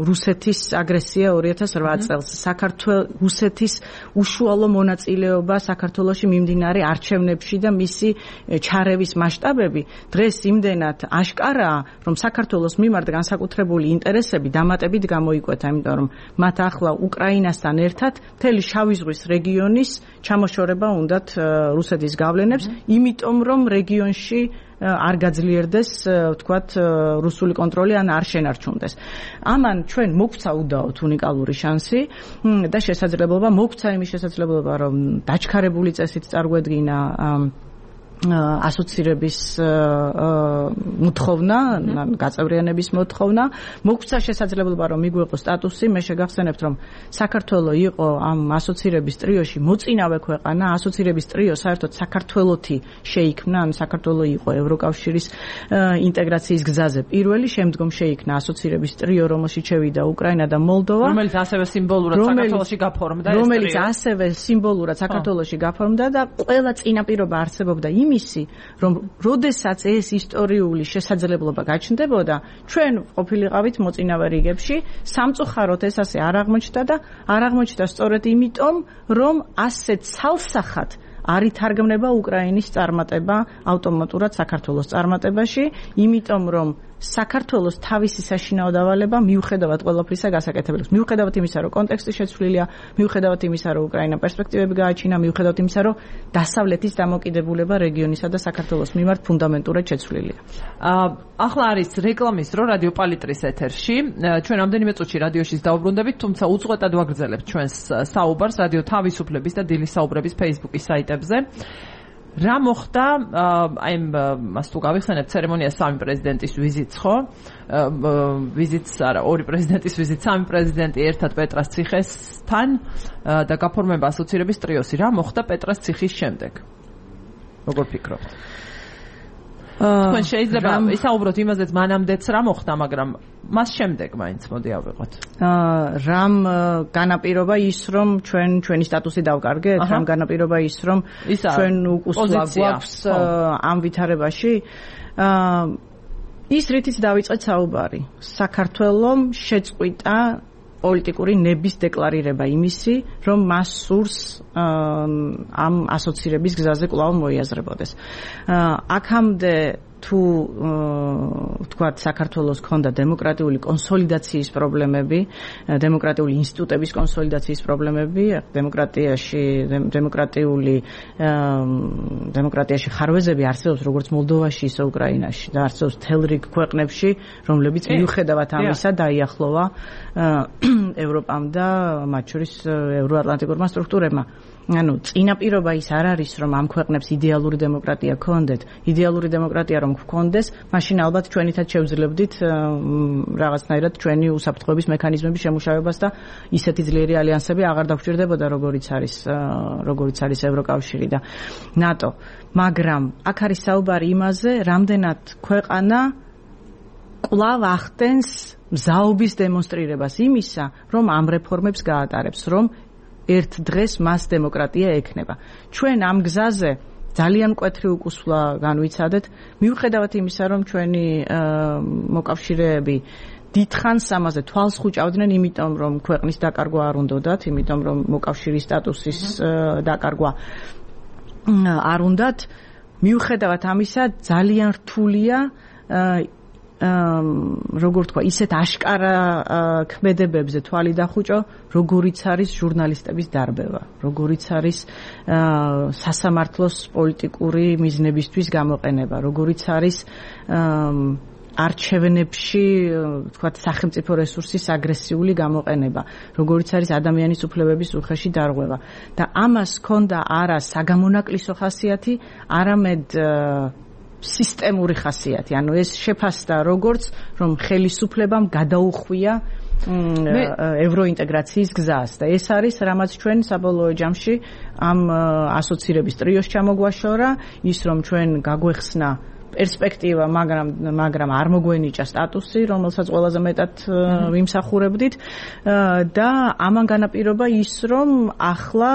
რუსეთის აგრესია ორი ათას რვა წელს, საქართველოს რუსეთის უშუალო მონაწილეობა საქართველოში მიმდინარე არჩევნებში და მისი ჩარევის მასშტაბები დღეს იმდენად აშკარაა, რომ საქართველოს მიმართ განსაკუთრებული ინტერესები დამატებით გამოიკვეთა, იმიტომ რომ მათ ახლა უკრაინასთან ერთად შავი ზღვის რეგიონის ჩამოშორება უნდათ რუსეთის გავლენებს, იმიტომ რომ რეგიონში არ გაძლიერდეს, ვთქვათ, რუსული კონტროლი ან არ შენარჩუნდეს. ამან ჩვენ მოგვცა უდაოდ უნიკალური შანსი და შესაძლებლობა, მოგვცა იმის შესაძლებლობა, რომ დაჩქარებული წესით წარგვედგინა ასოცირების მოთხოვნა, გაწევრიანების მოთხოვნა, მოგვცა შესაძლებლობა, რომ მიგვეყო სტატუსი. მე შეგახსენებთ, რომ საქართველო იყო ამ ასოცირების ტრიოში მოწინავე ქვეყანა, ასოცირების ტრიო საერთოდ საქართველოთი შეიქმნა, ან საქართველო იყო ევროკავშირის ინტეგრაციის გზაზე პირველი, შემდგომ შეიქმნა ასოცირების ტრიო, რომელშიც შევიდა უკრაინა და მოლდოვა, რომელიც ასევე სიმბოლურად საქართველოში გაფორმდა, რომელიც ასევე სიმბოლურად საქართველოში გაფორმდა და ყველა წინაპირობა არსებობდა იმისი, რომ როდესაც ეს ისტორიული შესაძლებლობა გაჩნდებოდა, ჩვენ ყოფილიყავით მოწინავე რიგებში, სამწუხაროდ ეს ასე არ აღმოჩნდა და არ აღმოჩნდა სწორედ იმიტომ, რომ ასეთ ცალსახად არ ითარგმნება უკრაინის წარმატება ავტომატურად საქართველოს წარმატებაში, იმიტომ რომ საქართველოს თავისი საშინაო დავალება მიუხედავად ყველაფრისა გასაკეთებელებს. მიუხედავად იმისა, რომ კონტექსტი შეცვლილია, მიუხედავად იმისა, რომ უკრაინა პერსპექტივები გააჩინა, მიუხედავად იმისა, რომ დასავლეთის დამოკიდებულება რეგიონისა და საქართველოს მიმართ ფუნდამენტურად შეცვლილია. ახლა არის რეკლამის დრო რადიო პალიტრის ეთერში. ჩვენ ამდენიმე წუთში რადიოშიც დაუბრუნდებით, თუმცა უწყვეტად ვაგრძელებთ ჩვენს საუბარს რადიო თავისუფლების და დილის საუბრების Facebook-ის საიტებზე. რა მოხდა აი მას თუ გავიხსენებ ცერემონია სამი პრეზიდენტის ვიზიტს ხო? ვიზიტს არა, ორი პრეზიდენტის ვიზიტ, სამი პრეზიდენტი ერთად პეტრას ციხესთან და გაფორმება ასოცირების ტრიოსი. რა მოხდა პეტრას ციხის შემდეგ? როგორ ფიქრობთ? თქვენ შეიძლება ისაუბროთ იმაზეც მანამდეც რა მოხდა, მაგრამ მას შემდეგ მაინც მოდი ავიღოთ. რამ განაპირობა ის, რომ ჩვენ ჩვენი სტატუსი დავკარგეთ, რამ განაპირობა ის, რომ ჩვენ უკუსლა გვაქვს ამ ვითარებაში. ის რითიც დავიწყეთ საუბარი. საქართველომ შეწყვიტა პოლიტიკური ნების დეკლარირება იმისი, რომ მას სურს ამ ასოცირების გზაზე კვლავ მოიაზრებოდეს. აქამდე თუ ვთქვათ საქართველოს ქონდა დემოკრატიული კონსოლიდაციის პრობლემები, დემოკრატიული ინსტიტუტების კონსოლიდაციის პრობლემები, დემოკრატიაში დემოკრატიული დემოკრატიაში ხარვეზები არსებობს როგორც მოლდოვაში, ისე უკრაინაში და არსებობს მთელ რიგ ქვეყნებში, რომლებიც მიუხედავად ამისა დაიახლოვა ევროპამ და მათ შორის ევროატლანტიკურმა სტრუქტურებმა. ანუ წინაპირობა ის არ არის, რომ ამ ქვეყნებს იდეალური დემოკრატია ქონდეთ. იდეალური დემოკრატია რომ გქონდეს, მაშინ ალბათ ჩვენითაც შევძლებდით რაღაცნაირად ჩვენი უსაფრთხოების მექანიზმების შემუშავებას და ისეთი ძლიერი ალიანსები აღარ დაგვჭირდებოდა, როგორიც არის როგორიც არის ევროკავშირი და ნატო. მაგრამ აქ არის საუბარი იმაზე, რამდენად ქვეყანა კვლავ ახდენს მზაობის დემონსტრირებას იმისა, რომ ამ რეფორმებს გაატარებს, რომ ერთ დღეს მას დემოკრატია ექნება. ჩვენ ამ გზაზე ძალიან მკვეთრი უკუსვლა განვიცადეთ, მიუხედავად იმისა, რომ ჩვენი მოკავშირეები დიდხანს ამაზე თვალს ხუჭავდნენ, იმიტომ რომ ქვეყნის დაკარგვა არ უნდათ, იმიტომ რომ მოკავშირის სტატუსის დაკარგვა არ უნდათ. მიუხედავად ამისა, ძალიან რთულია როგორ თქვა, ისეთ აშკარა ქმედებებზე თვალი დახუჭო, როგორიც არის ჟურნალისტების დარბევა, როგორიც არის სასამართლოს პოლიტიკური მიზნებისთვის გამოყენება, როგორიც არის არჩევნებში, თქვათ, სახელმწიფო რესურსის აგრესიული გამოყენება, როგორიც არის ადამიანის უფლებების უხეში დარღვევა. და ამას ჰქონდა არა საგამონაკლისო ხასიათი, არამედ სისტემური ხასიათი. ანუ ეს შეფასდა როგორც, რომ ხელისუფლებამ გადაუხვია ევროინტეგრაციის გზას და ეს არის, რამაც ჩვენ საბოლოო ჯამში ამ ასოცირების ტრიოს ჩამოგვაშორა, ის რომ ჩვენ გაგვეხსნა პერსპექტივა, მაგრამ მაგრამ არ მოგვენიჭა სტატუსი, რომელსაც ყველაზე მეტად ვიმსახურებდით და ამან განაპირობა ის, რომ ახლა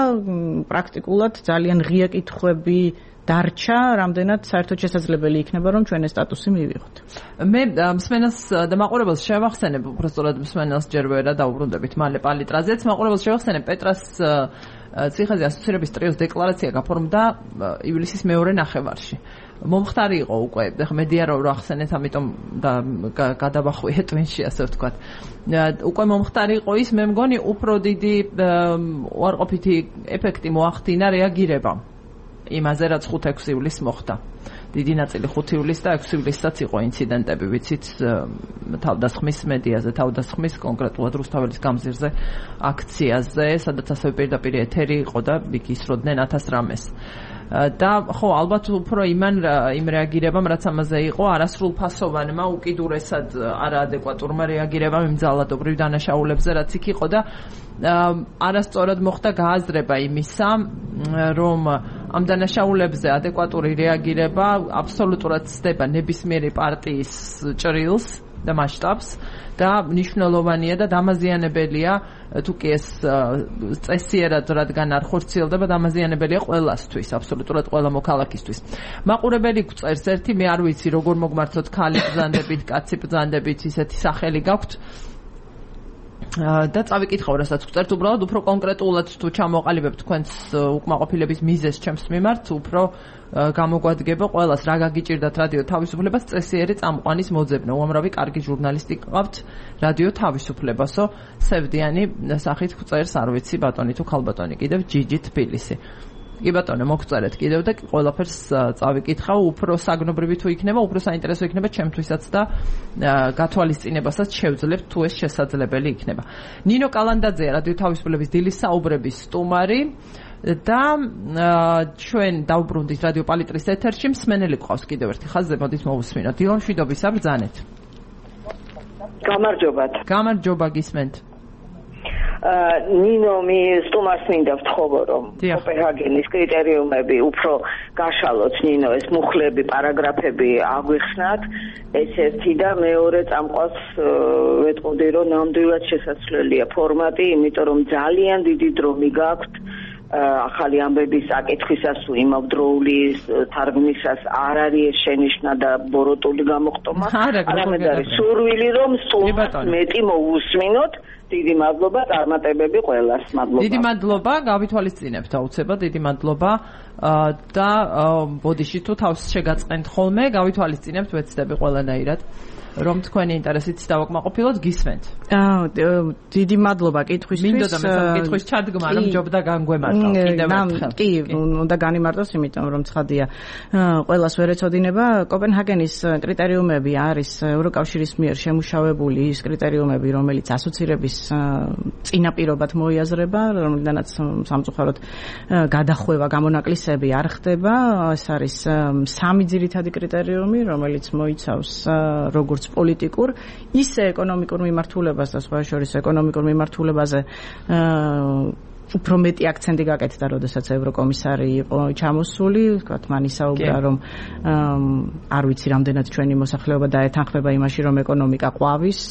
პრაქტიკულად ძალიან ღია კითხვები დარჩა, რამდენად საერთოდ შესაძლებელი იქნება, რომ ჩვენ ეს სტატუსი მივიღოთ. მე მსმენელს და მაყურებელს შევახსენებ, უბრალოდ მსმენელს ჯერ ვერ დაუბრუნდებით მალე პალიტრაზეც, მაყურებელს შევახსენებ პეტრას ციხეზე ასოცირების ტრიოს დეკლარაცია გაფორმდა ივლისის მეორე ნახევარში. მომხდარი იყო უკვე, ხა მედია რო ახსენეთ, ამიტომ და გადავახვიე ტვინში, ასე ვთქვათ. უკვე მომხდარი იყო ის, მე მგონი უფრო დიდი უარყოფითი ეფექტი მოახდინა რეაგირება იმაზე, რაც ხუთ ექვსი ივლისს მოხდა. დიდი ნაწილი ხუთი ივლისს და ექვსი ივლისსაც იყო ინციდენტები, ვიცით, თავდასხმის მედიაზე, თავდასხმის კონკრეტულად რუსთაველის გამზირზე აქციაზე, სადაც ასევე პირდაპირ ეთერი იყო და იქ ისროდნენ ათას რამეს. და ხო, ალბათ უფრო იმან იმ რეაგირებამ, რაც ამაზე იყო, არასრულფასოვანმა, უკიდურესად არაადეკვატურმა რეაგირებამ იმ ძალადობრივ დანაშაულებზე, რაც იქ იყო და არასწორად მოხდა გააზრება იმისა, რომ ამ დანაშაულებზე ადეკვატური რეაგირება აბსოლუტურად ცდება ნებისმიერი პარტიის ჭრილს და მასშტაბს და მნიშვნელოვანია და დამაზიანებელია, თუ კი ეს წესიერად რადგან არ ხორციელდება, დამაზიანებელია ყველასთვის, აბსოლუტურად ყველა მოქალაქისთვის. მაყურებელი გვწერს ერთი, მე არ ვიცი როგორ მოგმართოთ, ქალი ბრძანდებით, კაცი ბრძანდებით, ისეთი სახელი გაქვთ. და წავიკითხავ, რასაც გვწერთ, უბრალოდ უფრო კონკრეტულად თუ ჩამოყალიბებთ თქვენს უკმაყოფილების მიზეზს ჩემს მიმართ, უფრო გამოგვადგება ყველას რა გაგიჭირდათ რადიო თავისუფლებას წესიერი წამყვანის მოძებნა. უამრავი კარგი ჟურნალისტი ყავთ რადიო თავისუფლებასო, სევდიანი სახით გვწერს, არ ვიცი ბატონი თუ ქალბატონი, კიდევ ჯიჯი თბილისი. კი ბატონო, მოგწერეთ კიდევ და ყველაფერს წავიკითხავ, უფრო საგნობრივი თუ იქნება, უფრო საინტერესო იქნება ჩემთვისაც და გათვალისწინებასაც შევძლებთ თუ ეს შესაძლებელი იქნება. ნინო კალანდაძეა რადიო თავისუფლების დილის საუბრების სტუმარი. და ჩვენ დავუბრუნდით რადიო პალიტრის ეთერში მსმენელი გვყავს კიდევ ერთი ხაზზე მოდით მოვუსმინოთ დილონ მშვიდობის საბრძანეთ გამარჯობათ გამარჯობა გისმენთ ნინო მე სტუმარს მინდა ვთხოვო რომ კოპენჰაგენის კრიტერიუმები უფრო გაშალოთ ნინო ეს მუხლები პარაგრაფები აგვიხსნათ ეს ერთი და მეორე წამყვას ვეტყოდი რომ ნამდვილად შესაძლებელია ფორმატი იმიტომ რომ ძალიან დიდი დრო მიგაქვთ ახალი ამბების აკითხვისას თუ იმავდროული თარგმნისას არ არის შენიშვნა და ბოროტული გამოხტომა არამედ არის სურვილი რომ სტუმარს მეტი მოусმინოთ დიდი მადლობა წარმატებები ყველას მადლობა დიდი მადლობა გავითვალისწინებთ აუცილებლად დიდი მადლობა და ბოდიში თუ თავს შეგაწყენთ ხოლმე გავითვალისწინებთ ვეცდები ყველანაირად რომ თქვენი ინტერესით დავაკმაყოფილოთ გისმენთ. აა დიდი მადლობა კითხვისთვის. მინდოდა მე კითხვის ჩადგმა რომ ჯობდა განგვემართო კიდევ ერთხელ. კი, უნდა განიმარტოს, იმიტომ რომ ცხადია. ყველას ვერ ეწოდინება კოპენჰაგენის კრიტერიუმები არის ევროკავშირის მიერ შემუშავებული ის კრიტერიუმები, რომელიც ასოცირების წინაპირობად მოიაზრება, რომლიდანაც სამწუხაროდ გადახვევა გამონაკლისები არ ხდება. ეს არის სამი ძირითადი კრიტერიუმი, რომელიც მოიცავს როგორც პოლიტიკურ, ისე ეკონომიკურ მიმართულებას და სხვა შორის ეკონომიკურ მიმართულებაზე უფრო მეტი აქცენტი გაკეთდა, როდესაც ევროკომისარი იყო ჩამოსული, ვთქვათ, მან ისაუბრა, რომ არ ვიცი რამდენად ჩვენი მოსახლეობა დაეთანხმება იმაში, რომ ეკონომიკა ყვავის,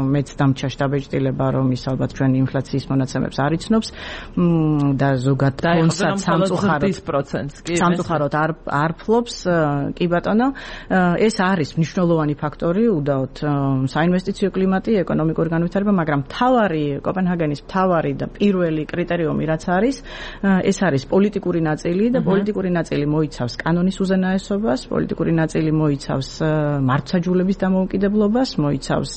მეც დამჩა შტაბეჭდილება, რომ ის ალბათ ჩვენი ინფლაციის მონაცემებს არ იცნობს და ზოგად ფონსაც სამწუხაროდ სამწუხაროდ არ არ ფლობს, კი ბატონო, ეს არის მნიშვნელოვანი ფაქტორი, უდაოდ საინვესტიციო კლიმატი, ეკონომიკური განვითარება, მაგრამ მთავარი კოპენჰაგენის მთავარი და პირველი კრიტერიუმი რაც არის, ეს არის პოლიტიკური ნაწილი და პოლიტიკური ნაწილი მოიცავს კანონის უზენაესობას, პოლიტიკური ნაწილი მოიცავს მართლმსაჯულების დამოუკიდებლობას, მოიცავს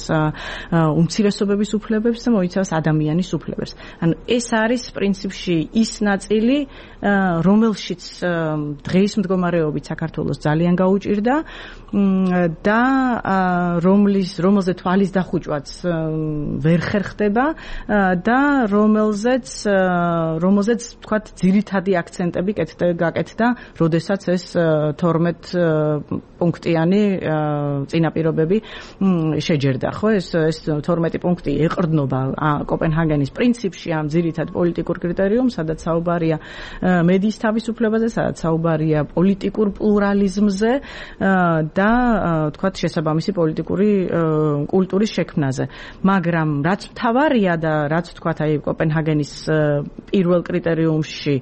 უმცირესობების უფლებებს და მოიცავს ადამიანის უფლებებს. ანუ ეს არის პრინციპში ის ნაწილი, რომელშიც დღეის მდგომარეობით საქართველოს ძალიან გაუჭირდა და რომლის რომელზე თვალის დახუჭვაც ვერ ხერხდება და რომელზეც რომელზეც თქვათ ძირითადი აქცენტები გაკეთდა, როდესაც ეს თორმეტ პუნქტიანი წინაპირობები შეჯერდა, ხო? ეს ეს თორმეტი პუნქტი ეყრდნობა კოპენჰაგენის პრინციპში ამ ძირითად პოლიტიკურ კრიტერიუმს, სადაც საუბარია მედიის თავისუფლებაზე, სადაც საუბარია პოლიტიკურ პლურალიზმზე და თქვათ შესაბამისი პოლიტიკური კულტურის შექმნაზე. მაგრამ რაც მთავარია და რაც თქვათ აი კოპენჰაგენის პირველ კრიტერიუმში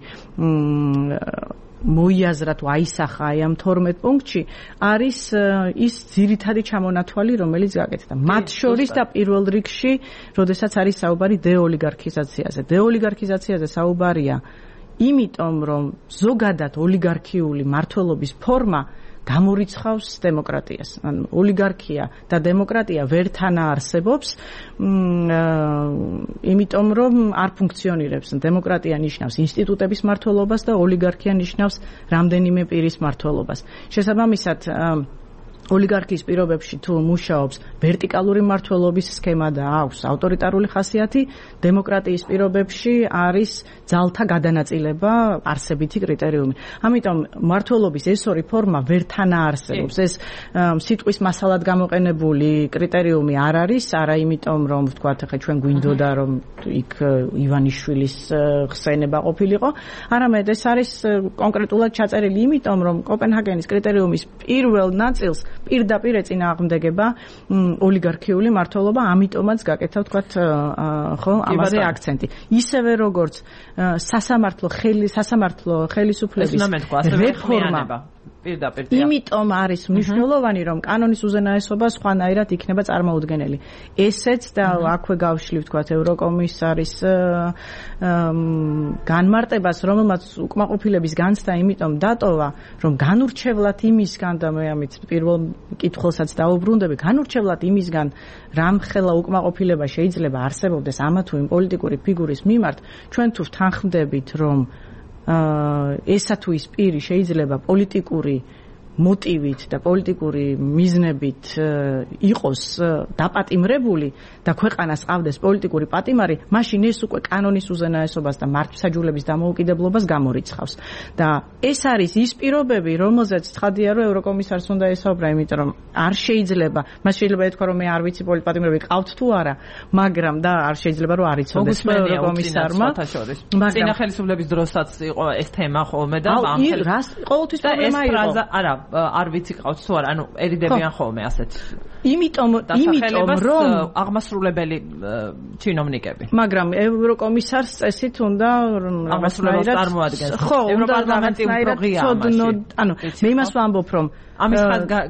მოიაზრა თუ აისახა აი ამ თორმეტ პუნქტში არის ის ძირითადი ჩამონათვალი, რომელიც გაკეთდა. მათ შორის და პირველ რიგში, როდესაც არის საუბარი დეოლიგარქიზაციაზე. დეოლიგარქიზაციაზე საუბარია იმიტომ, რომ ზოგადად ოლიგარქიული მმართველობის ფორმა გამორიცხავს დემოკრატიას. ანუ ოლიგარქია და დემოკრატია ვერთან არსებობს, იმიტომ რომ არ ფუნქციონირებს. დემოკრატია ნიშნავს ინსტიტუტების მმართველობას და ოლიგარქია ნიშნავს რამდენიმე პირის მმართველობას. შესაბამისად, ოლიგარქიის პირობებში თუ მუშაობს ვერტიკალური მმართველობის სქემა და აქვს ავტორიტარული ხასიათი, დემოკრატიის პირობებში არის ძალთა გადანაწილება არსებითი კრიტერიუმი. ამიტომ მმართველობის ეს ორი ფორმა ვერთან არსებობს. ეს სიტყვის მასალად გამოყენებული კრიტერიუმი არ არის, არა იმიტომ რომ ვთქვათ, ხა ჩვენ გვინდოდა რომ იქ ივანიშვილის ხსენება ყოფილიყო, არამედ ეს არის კონკრეტულად ჩაწერილი იმიტომ, რომ კოპენჰაგენის კრიტერიუმის პირველ ნაწილს პირდაპირ ეწინააღმდეგება ოლიგარქიული მმართველობა, ამიტომაც გაკეთა ვთქვათ, ხო, ამაზე აქცენტი. ისევე როგორც სასამართლო ხელი სასამართლო ხელისუფლების რეფორმა პირდაპირ. იმიტომ არის მნიშვნელოვანი, რომ კანონის უზენაესობა სხვანაირად იქნება წარმოუდგენელი. ესეც და აქვე გავშლი ვთქვათ ევროკომისარის განმარტებას, რომელმაც უკმაყოფილების განცდა იმიტომ დატოვა, რომ განურჩევლად იმისგან და მე ამით პირველ კითხულსაც დაუბრუნდები, განურჩევლად იმისგან, რამხელა უკმაყოფილება შეიძლება არსებობდეს ამა თუ იმ პოლიტიკური ფიგურის მიმართ, ჩვენ თუ ვთანხმდებით, რომ ესა თუ ის პირი შეიძლება პოლიტიკური მოტივით და პოლიტიკური მიზნებით იყოს დაპატიმრებული და ქვეყანას ყავდეს პოლიტიკური პატიმარი, მაშინ ეს უკვე კანონის უზენაესობას და მართლმსაჯულების დამოუკიდებლობას გამორიცხავს. და ეს არის ის პირობები, რომელზეც ცხადია, რომ ევროკომისარს უნდა ესაუბრა, იმიტომ რომ არ შეიძლება, მას შეიძლება ეთქვა, რომ მე არ ვიცი პოლიტიკური პატიმრები ყავთ თუ არა, მაგრამ და არ შეიძლება რომ არ იცოდეს ევროკომისარმა. მაგრამ წინა ხელისუფლების დროსაც იყო ეს თემა ხოლმე და ამ ხელს ყოველთვის პრობლემა იყო. არა, არ ვიცი ყავთ თუ არა, ანუ ერიდებიან ხოლმე ასეთ. იმიტომ, იმიტომ რომ აღმასრულებელი ჩინოვნიკები. მაგრამ ევროკომისარს წესით უნდა აღმასრულებელს წარმოადგენს. ხო, ევროპარლამენტი უფრო ღია ამაში. ანუ მე იმას ვამბობ, რომ ამის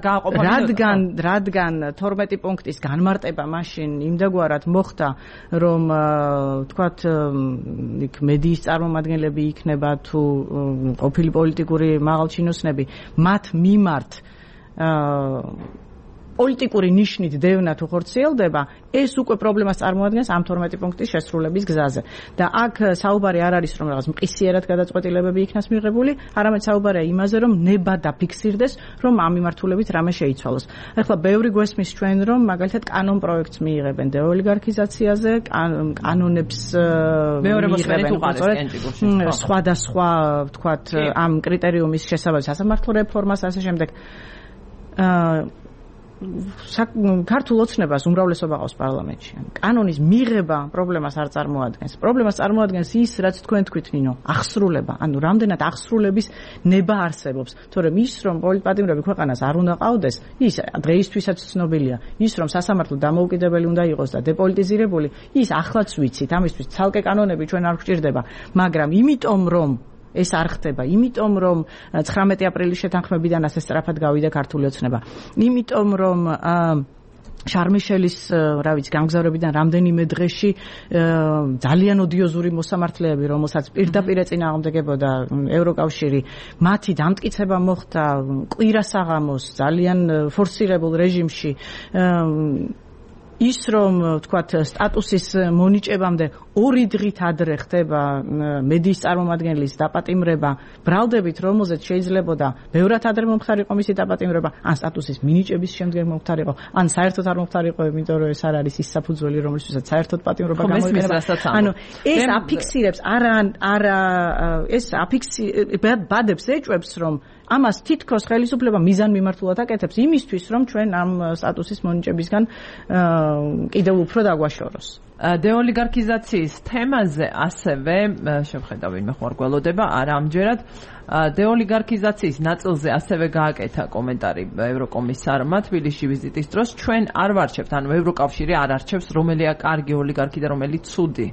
გააყოფა რადგან რადგან თორმეტი პუნქტის განმარტება მაშინ იმდაგვარად მოხდა, რომ თქვათ იქ მედიის წარმომადგენლები იქნება თუ ყოფილი პოლიტიკური მაღალჩინოსნები მათ მიმართ პოლიტიკური ნიშნით დევნა თუ ხორციელდება, ეს უკვე პრობლემას წარმოადგენს ამ თორმეტი პუნქტის შესრულების გზაზე. და აქ საუბარი არ არის, რომ რაღაც მყისიერად გადაწყვეტილებები იქნას მიღებული, არამედ საუბარია იმაზე, რომ ნება დაფიქსირდეს, რომ ამ მიმართულებით რამე შეიცვალოს. ახლა ბევრი გვესმის ჩვენ, რომ მაგალითად კანონ პროექტს მიიღებენ დეოლიგარქიზაციაზე, კანონებს მიიღებენ სხვადასხვა, ვთქვათ, ამ კრიტერიუმის შესაბამისად სასამართლო რეფორმას, ასე შემდეგ. ქართულ ოცნებას უმრავლესობა ყავს პარლამენტში. კანონის მიღება პრობლემას არ წარმოადგენს. პრობლემას წარმოადგენს ის, რაც თქვენ თქვით, ნინო, აღსრულება. ანუ რამდენად აღსრულების ნება არსებობს. თორემ ის, რომ პოლიტპატიმრები ქვეყანას არ უნდა ყავდეს, ის დღეისთვისაც ცნობილია. ის, რომ სასამართლო დამოუკიდებელი უნდა იყოს და დეპოლიტიზირებული, ის ახლაც ვიცით. ამისთვის ცალკე კანონები ჩვენ არ გვჭირდება, მაგრამ იმიტომ რომ ეს არ ხდება, იმიტომ რომ ცხრამეტი აპრილის შეთანხმებიდან ასე სწრაფად გავიდა ქართული ოცნება. იმიტომ რომ შარმიშელის, რა ვიცი, გამგზავრებიდან რამდენიმე დღეში ძალიან ოდიოზური მოსამართლეები, რომელსაც პირდაპირ ეწინააღმდეგებოდა ევროკავშირი, მათი დამტკიცება მოხდა კვირასაღამოს ძალიან ფორსირებულ რეჟიმში. ის რომ თქვათ სტატუსის მონიჭებამდე ორი დღით ადრე ხდება მედიის წარმომადგენლის დაპატიმრება, ბრალდებით რომელზეც შეიძლებოდა ბევრად ადრე მომხდარიყო მისი დაპატიმრება, ან სტატუსის მინიჭების შემდეგ მომხდარიყო, ან საერთოდ არ მომხდარიყო, იმიტომ რომ ეს არ არის ის საფუძველი, რომელშიც საერთოდ პატიმრობა გამოიყენება. ანუ ეს აფიქსირებს, არა არა ეს აფიქსირებს ეჭვებს, რომ ამას თითქოს ხელისუფლება მიზანმიმართულად აკეთებს იმისთვის, რომ ჩვენ ამ სტატუსის მონიჭებისგან კიდევ უფრო დაგვაშოროს. დეოლიგარქიზაციის თემაზე ასევე შევხედავ ვინმე ხო არ გველოდება, არა ამჯერად დეოლიგარქიზაციის ნაწილზე ასევე გააკეთა კომენტარი ევროკომისარმა თბილისში ვიზიტის დროს. ჩვენ არ ვარჩევთ, ანუ ევროკავშირი არ არჩევს რომელია კარგი ოლიგარქი და რომელიც ცუდი.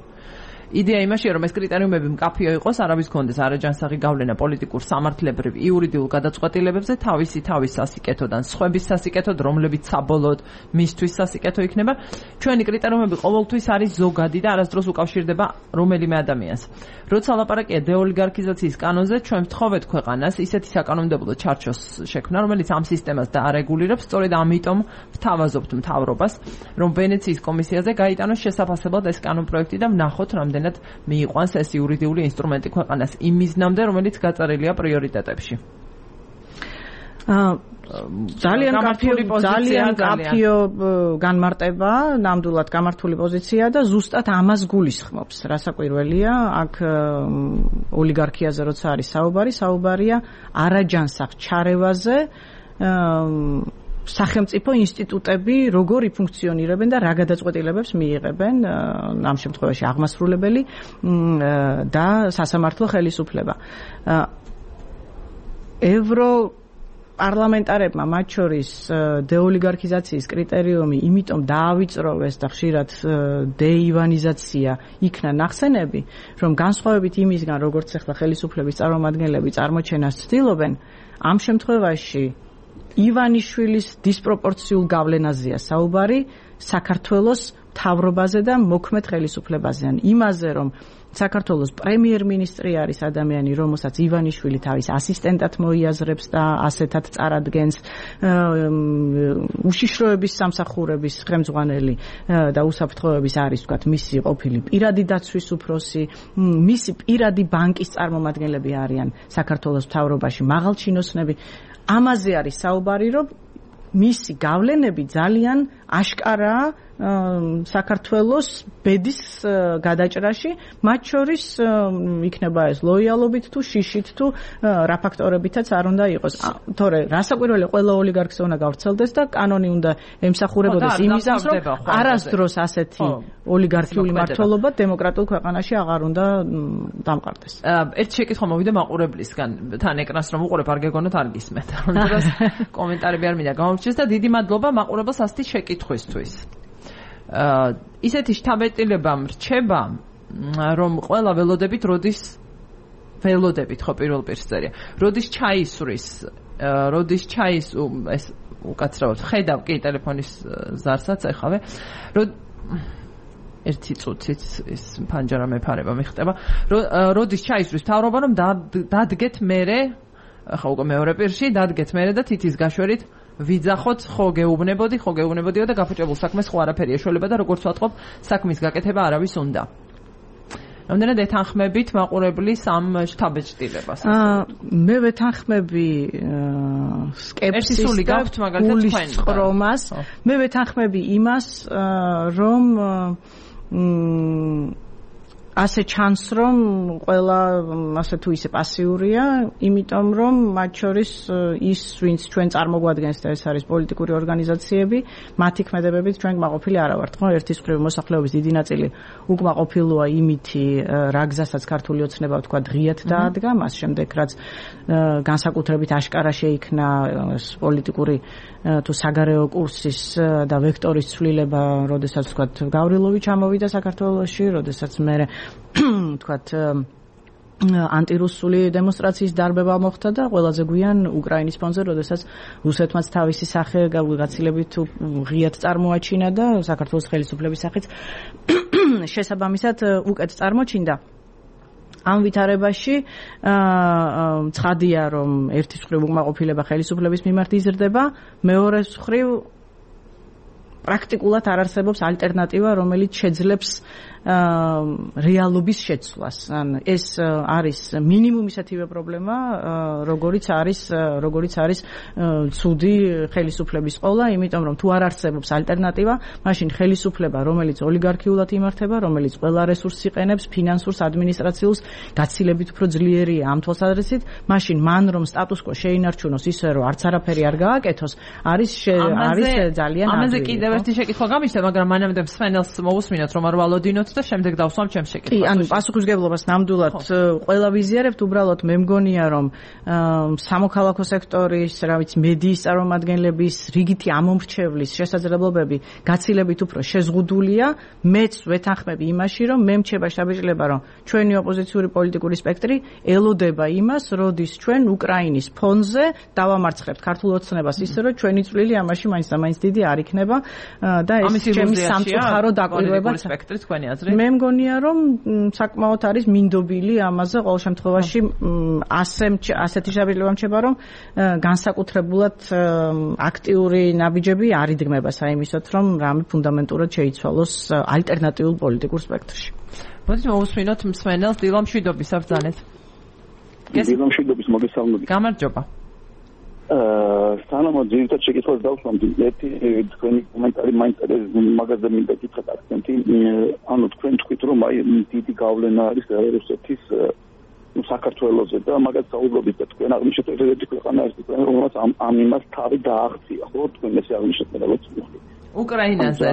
იდეა იმაშია, რომ ეს კრიტერიუმები მკაფიო იყოს, არავის კონდეს არაჯანსაღი გავლენა პოლიტიკურ სამართლებრივ იურიდიულ გადაწყვეტილებებზე თავისი თავის სასიკეთოდან სხვების სასიკეთოდ, რომლებიც საბოლოოდ მისთვის სასიკეთო იქნება. ჩვენი კრიტერიუმები ყოველთვის არის ზოგადი და არასდროს უკავშირდება რომელიმე ადამიანს. როცა ლაპარაკია დეოლიგარქიზაციის კანონზე, ჩვენ ვთხოვეთ ქვეყანას ისეთი საკანონმდებლო ჩარჩოს შექმნა, რომელიც ამ სისტემას დაარეგულირებს. სწორედ ამიტომ ვთავაზობთ მთავრობას, რომ ვენეციის კომისიაზე გაიტანოს შესაფასებლად ეს კანონპროექტი და ვნახოთ, რამდენი მიიყვანს ეს იურიდიული ინსტრუმენტი ქვეყანას იმ მიზნამდე, რომელიც გაწერილია პრიორიტეტებში. ძალიან კაფიო ძალიან კაფიო განმარტება, ნამდვილად გამართული პოზიცია და ზუსტად ამას გულისხმობს. რასაკვირველია, აქ ოლიგარქიაზე როცა არის საუბარი, საუბარია არაჯანსაღ ჩარევაზე, სახელმწიფო ინსტიტუტები როგორი ფუნქციონირებენ და რა გადაწყვეტილებებს მიიღებენ, ამ შემთხვევაში აღმასრულებელი და სასამართლო ხელისუფლება. ევრო პარლამენტარებმა მათ შორის დეოლიგარქიზაციის კრიტერიუმი იმიტომ დაავიწროვეს და ხშირად დეივანიზაცია იქნა ნახსენები, რომ განსხვავებით იმისგან, როგორც ახლა ხელისუფლების წარმომადგენლები წარმოჩენას ცდილობენ, ამ შემთხვევაში ივანიშვილის დისპროპორციულ გავლენაზეა საუბარი საქართველოს მთავრობაზე და მოქმედ ხელისუფლებაზე. იმაზე, რომ საქართველოს პრემიერ-მინისტრი არის ადამიანი, რომელსაც ივანიშვილი თავის ასისტენტად მოიაზრებს და ასეთად წარადგენს, უშიშროების სამსახურების ხელმძღვანელი და უსაფრთხოების არის, ვთქვათ, მისი ყოფილი პირადი დაცვის უფროსი, მისი პირადი ბანკის წარმომადგენლები არიან საქართველოს მთავრობაში, მაღალჩინოსნები. ამაზე არის საუბარი, რომ მისი გავლენები ძალიან აშკარაა საქართველოს ბედის გადაჭრაში, მათ შორის იქნება ეს ლოიალობით თუ შიშით თუ რა ფაქტორებითაც არ უნდა იყოს. თორე რასაკვირველია, ყველა ოლიგარქს უნდა გავრცელდეს და კანონი უნდა ემსახურებოდეს იმისას, რომ არასდროს ასეთი ოლიგარქიული მმართველობა დემოკრატიულ ქვეყანაში აღარ უნდა დამყარდეს. ერთ შეკითხვა მოვიდა მაყურებლისგან, თან ეკრანს რომ უყურებ, არ გეგონოთ არ გისმენთ. ამიტომ კომენტარები არ მინდა გამორჩეს და დიდი მადლობა მაყურებელს ასეთი შეკითხვისთვის. Uh, ისეთი შთაბეჭდილება მრჩება, რომ ყველა ველოდებით როდის ველოდებით ხო პირველ პირს წერია. როდის ჩაისვრის, როდის ჩაის ეს უკაცრავად ხედავ კი ტელეფონის ზარსაც ეხავე. როდ ერთი წუთით ეს ფანჯარა მეფარება მიხდება. როდის ჩაისვრის თავრობა, რომ დადგეთ მერე, ხო უკვე მეორე პირში, დადგეთ მერე და თითის გაშვერით ვიძახოთ, ხო გეუბნებოდი, ხო გეუბნებოდიო და გაფუჭებულ საქმეს ხო არაფერი ეშველება და როგორც ვატყობ, საქმის გაკეთება არავის უნდა. რამდენად ეთანხმებით მაყურებლის ამ შთაბეჭდილებას? მე ვეთანხმები სკეპსისს და გულისწყრომას. მე ვეთანხმები იმას, რომ ასე ჩანს, რომ ყველა ასე თუ ისე პასიურია, იმიტომ რომ მათ შორის ის, ვინც ჩვენ წარმოგვადგენს და ეს არის პოლიტიკური ორგანიზაციები, მათი ქმედებებით ჩვენ კმაყოფილი არა ვართ, ხო? ერთის მხრივ მოსახლეობის დიდი ნაწილი უკმაყოფილოა იმითი, რა გზასაც ქართული ოცნება თქვა დღიათ დაადგა, მას შემდეგ რაც განსაკუთრებით აშკარა შეიქმნა პოლიტიკური თუ საგარეო კურსის და ვექტორის ცვლილება, როდესაც თქვა გავრილოვი ჩამოვიდა საქართველოში, როდესაც მე თქვათ ანტირუსული დემონსტრაციის დარბევა მოხდა და ყველაზე გვიან უკრაინის ფონზე, როდესაც რუსეთმაც თავისი სახე გაცილებით ღიად წარმოაჩინა და საქართველოს ხელისუფლების სახით შესაბამისად უკეთ წარმოჩინდა. ამ ვითარებაში ცხადია, რომ ერთის მხრივ უკმაყოფილება ხელისუფლების მიმართ იზრდება, მეორეს მხრივ პრაქტიკულად არ არსებობს ალტერნატივა, რომელიც შეძლებს რეალობის შეცვლას. ან ეს არის მინიმუმ ისეთივე პრობლემა, როგორიც არის, როგორიც არის ცუდი ხელისუფლების ყოლა, იმიტომ რომ თუ არ არსებობს ალტერნატივა, მაშინ ხელისუფლება, რომელიც ოლიგარქიულად იმართება, რომელიც ყველა რესურსს იყენებს, ფინანსურს, ადმინისტრაციულს, გაცილებით უფრო ძლიერია ამ თვალსაზრისით, მაშინ მან რომ სტატუს-კვო შეინარჩუნოს ისე, რომ არც არაფერი არ გააკეთოს, არის არის ძალიან ადვილი. ამაზე კიდევ ერთი შეკითხვა გამიშთა, მაგრამ მანამდე მსმენელს მოусმინოთ, რომ არ ვალოდინოთ და შემდეგ დავსვამ ჩემს შეკითხვას. კი, ანუ პასუხისგებლობას ნამდვილად ყველა ვიზიარებთ, უბრალოდ მე მგონია, რომ სამოქალაქო სექტორის, რა ვიცი, მედიის წარმომადგენლების რიგითი ამომრჩევლის შესაძლებლობები გაცილებით უფრო შეზღუდულია. მეც ვეთანხმები იმაში, რომ მე მრჩება შთაბეჭდილება, რომ ჩვენი ოპოზიციური პოლიტიკური სპექტრი ელოდება იმას, როდის ჩვენ უკრაინის ფონზე დავამარცხებთ ქართულ ოცნებას ისე, რომ ჩვენი წვლილი ამაში მაინც და მაინც დიდი არ იქნება და ეს ჩემი სამწუხარო დაკვირვება სპექტრი თქვენი აზრით. მე მგონია, რომ საკმაოდ არის მინდობილი ამაზე ყოველ შემთხვევაში ასე ასეთი შაბილება მჩება, რომ განსაკუთრებულად აქტიური ნაბიჯები არ იდგმება საიმისოთ, რომ რამე ფუნდამენტურად შეიცვალოს ალტერნატიულ პოლიტიკურ სპექტრში. მოდით მოусმინოთ მსმენელს დილა მშვიდობის საბრძანეთ. დილა მშვიდობის მოგესალმებით. გამარჯობა. აა სანამ ძირითად შეკითხვას დავსვამდი, ერთი თქვენი კომენტარი მაინტერესებს, მაგაზე მინდა გითხრათ აქცენტი, ანუ თქვენ თქვით, რომ აი დიდი გავლენა არის რუსეთის საქართველოზე და მაგას საუბრობთ და თქვენ აღნიშნეთ, რომ ერთი ქვეყანა არის თქვენ, რომელსაც ამ ამ იმას თავი დააღწია, ხო? თქვენ ესე აღნიშნეთ, რაღაც ვიხდი. უკრაინაზე.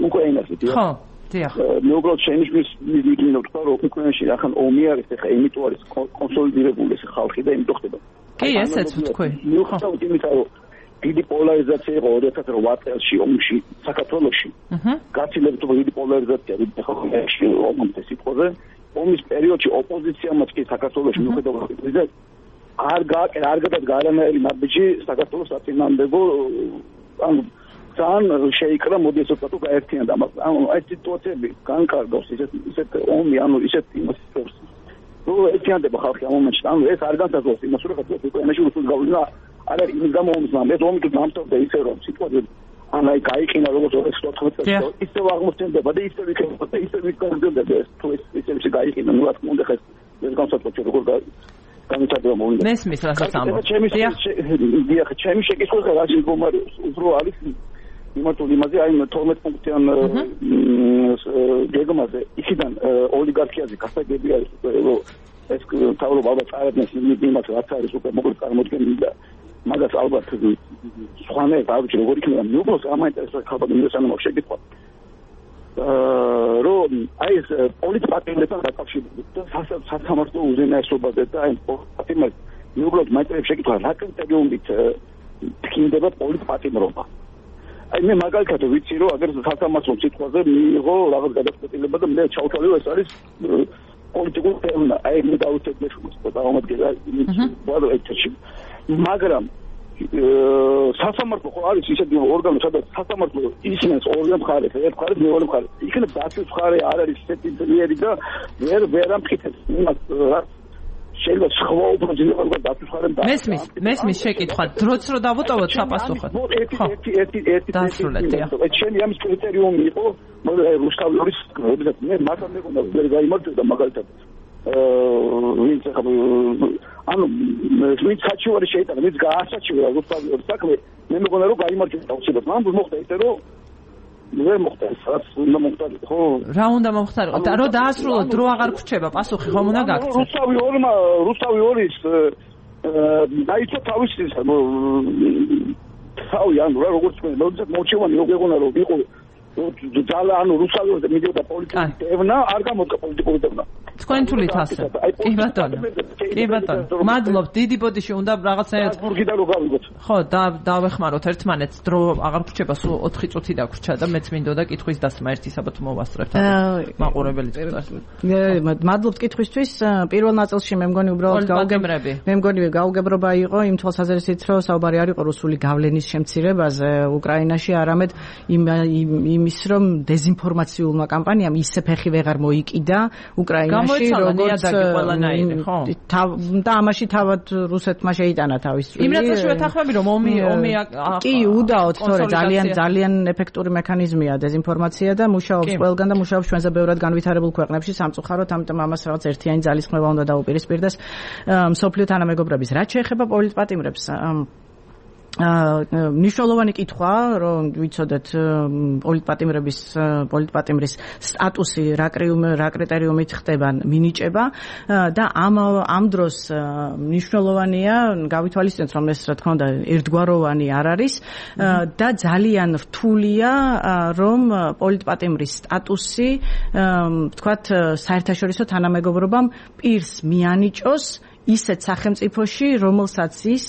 უკრაინაზე. ხო. დიახ. მე უბრალოდ შენიშნის მივიდნენ თქვა, რომ უკრაინაში ახან ომი არის, ეხა იმიტომ არის კონსოლიდირებული ეს ხალხი და იმიტომ ხდება. კი, ესეც ვთქვი. მიუხედავად იმისა, რომ დიდი პოლარიზაცია იყო ორი ათას ოთხ წელში ომში საქართველოში. აჰა. გაცილებით დიდი პოლარიზაცია იყო ხალხში ომის სიტყვაზე. ომის პერიოდში ოპოზიციამაც კი საქართველოში მიუხედავად იმისა, არ გააკეთა, არ გადადგა არანაირი ნაბიჯი საქართველოს საწინააღმდეგო, ანუ ძალიან შეიკრა, მოდი ესე ვთქვათ, გაერთიანდა, მაგრამ ანუ ეს სიტუაციები განკარგავს ისეთ ისეთ ომი, ანუ ისეთ იმას ფორს. ნუ ერთიანდება ხალხი ამ მომენტში, ანუ ეს არ განსაზღვრავს იმას, რომ ხალხი უკრაინაში რუსული გავლენა არ არის იმის გამო ომის, მაგრამ ეს ომი თუ დამთავრდა ისე რომ სიტუაცია ან აი გაიყინა როგორც ორი ათი წელი, ისე აღმოჩნდება და ისე იქნება და ისე ვიკონდება ეს თუ ისე ისე გაიყინა, ნუ რა თქმა უნდა ხეს ეს განსაკუთრებით როგორ განვითარება მოუნდა. მესმის რასაც ამბობ. დიახ, ჩემი შეკითხვა რა შემდგომარეობს უფრო არის იმართული იმაზე, აი თორმეტ პუნქტიან გეგმაზე, იქიდან ოლიგარქიაზე გასაგები არის რომ ეს თავრობა ალბათ წარებდნენ იმას რაც არის უკვე მოკლედ წარმოდგენილი და მაგას ალბათ სხვანაირად არ ვიცი როგორ იქნება მიუბროს ამაინტერესებს ხალხი მინდოსან მაგ შეკითხვა რომ აი ეს პოლიტპატიმრებთან დაკავშირებით და სასამართლო უზენაესობაზე და აი პოლიტპატიმრებს მიუბროს მაინტერესებს შეკითხვა რა კრიტერიუმით თქმდება პოლიტპატიმრობა აი მე მაგალითად ვიცი რომ აგერ სასამართლო სიტყვაზე მიიღო რაღაც გადაწყვეტილება და მე ჩავთვალე ეს არის პოლიტიკურ თემა აი მე დავუწევ შეგოს და აღმოდგება ბოლო ეთერში მაგრამ სასამართლო ხო არის ისეთი ორგანო სადაც სასამართლო ისინს ორი მხარეს ერთ მხარეს მეორე მხარეს იქნება დაცვის მხარე არ არის ისეთი ძლიერი და ვერ ვერ ამტკიცებს იმას რაც შეიძლება სხვა უფრო ძლიერი დაცვის მხარე და მესმის მესმის შეკითხვა დროც რო დავუტოვოთ საპასუხოდ ხო ერთი ერთი ერთი დასრულეთ ეს ჩემი ამის კრიტერიუმი იყო რუსთავის მე მართლა მეგონა ვერ გაიმართებდა მაგალითად ვინც ანუ ვინც საჩივარი შეიტანა ვინც გაასაჩივრა რუსთავის საქმე მე მეგონა რომ გაიმართებდა უცებად მან მოხდა ისე რომ ვერ მოხდა სადაც უნდა მოხდარიყო ხო რა უნდა მოხდარიყო და რო დაასრულოთ დრო აღარ გრჩება პასუხი ხომ უნდა გაგცეთ რუსთავი ორმა რუსთავი ორის დაიწყო თავის თავი ანუ რა როგორც მე მოძებ მოჩევანი რო გეღონა რომ იყო ძალა ანუ რუსთავიზე მიდიოდა პოლიტიკური დევნა არ გამოდგა პოლიტიკური დევნა თქვენ თulit ასე კი ბატონო კი ბატონო მადლობთ დიდი ბოდიში უნდა რაღაცნაირად ბურგიდან რო გავიგოთ ხო და დავეხმაროთ ერთმანეთს დრო აღარ გრჩება სულ ოთხი წუთი დაგვრჩა და მეც მინდოდა კითხვის დასმა ერთი საბათ მოვასწრებთ მაყურებელი წუთას მადლობთ კითხვისთვის პირველ ნაწილში მე მგონი უბრალოდ გაუგებრები მე მგონი გაუგებრობა იყო იმ თვალსაზრისით რომ საუბარი არ იყო რუსული გავლენის შემცირებაზე უკრაინაში არამედ იმ იმის რომ დეზინფორმაციულმა კამპანიამ ისე ფეხი ვეღარ მოიკიდა უკრაინაში როგორც და ამაში თავად რუსეთმა შეიტანა თავის წვლილი. იმ რასაც შევეთანხმები რომ ომი ომი კი უდაოდ თორე ძალიან ძალიან ეფექტური მექანიზმია დეზინფორმაცია და მუშაობს ყველგან და მუშაობს ჩვენზე ბევრად განვითარებულ ქვეყნებში სამწუხაროდ ამიტომ ამას რაღაც ერთიანი ძალისხმევა უნდა დაუპირისპირდეს მსოფლიო თანამეგობრების. რაც შეეხება პოლიტპატიმრებს მნიშვნელოვანი კითხვა რომ ვიცოდეთ პოლიტპატიმრების პოლიტპატიმრის სტატუსი რა რა კრიტერიუმით ხდება მინიჭება და ამ ამ დროს მნიშვნელოვანია გავითვალისწინოთ რომ ეს რა თქმა უნდა ერთგვაროვანი არ არის და ძალიან რთულია რომ პოლიტპატიმრის სტატუსი თქვათ საერთაშორისო თანამეგობრობამ პირს მიანიჭოს ისეთ სახელმწიფოში, რომელსაც ის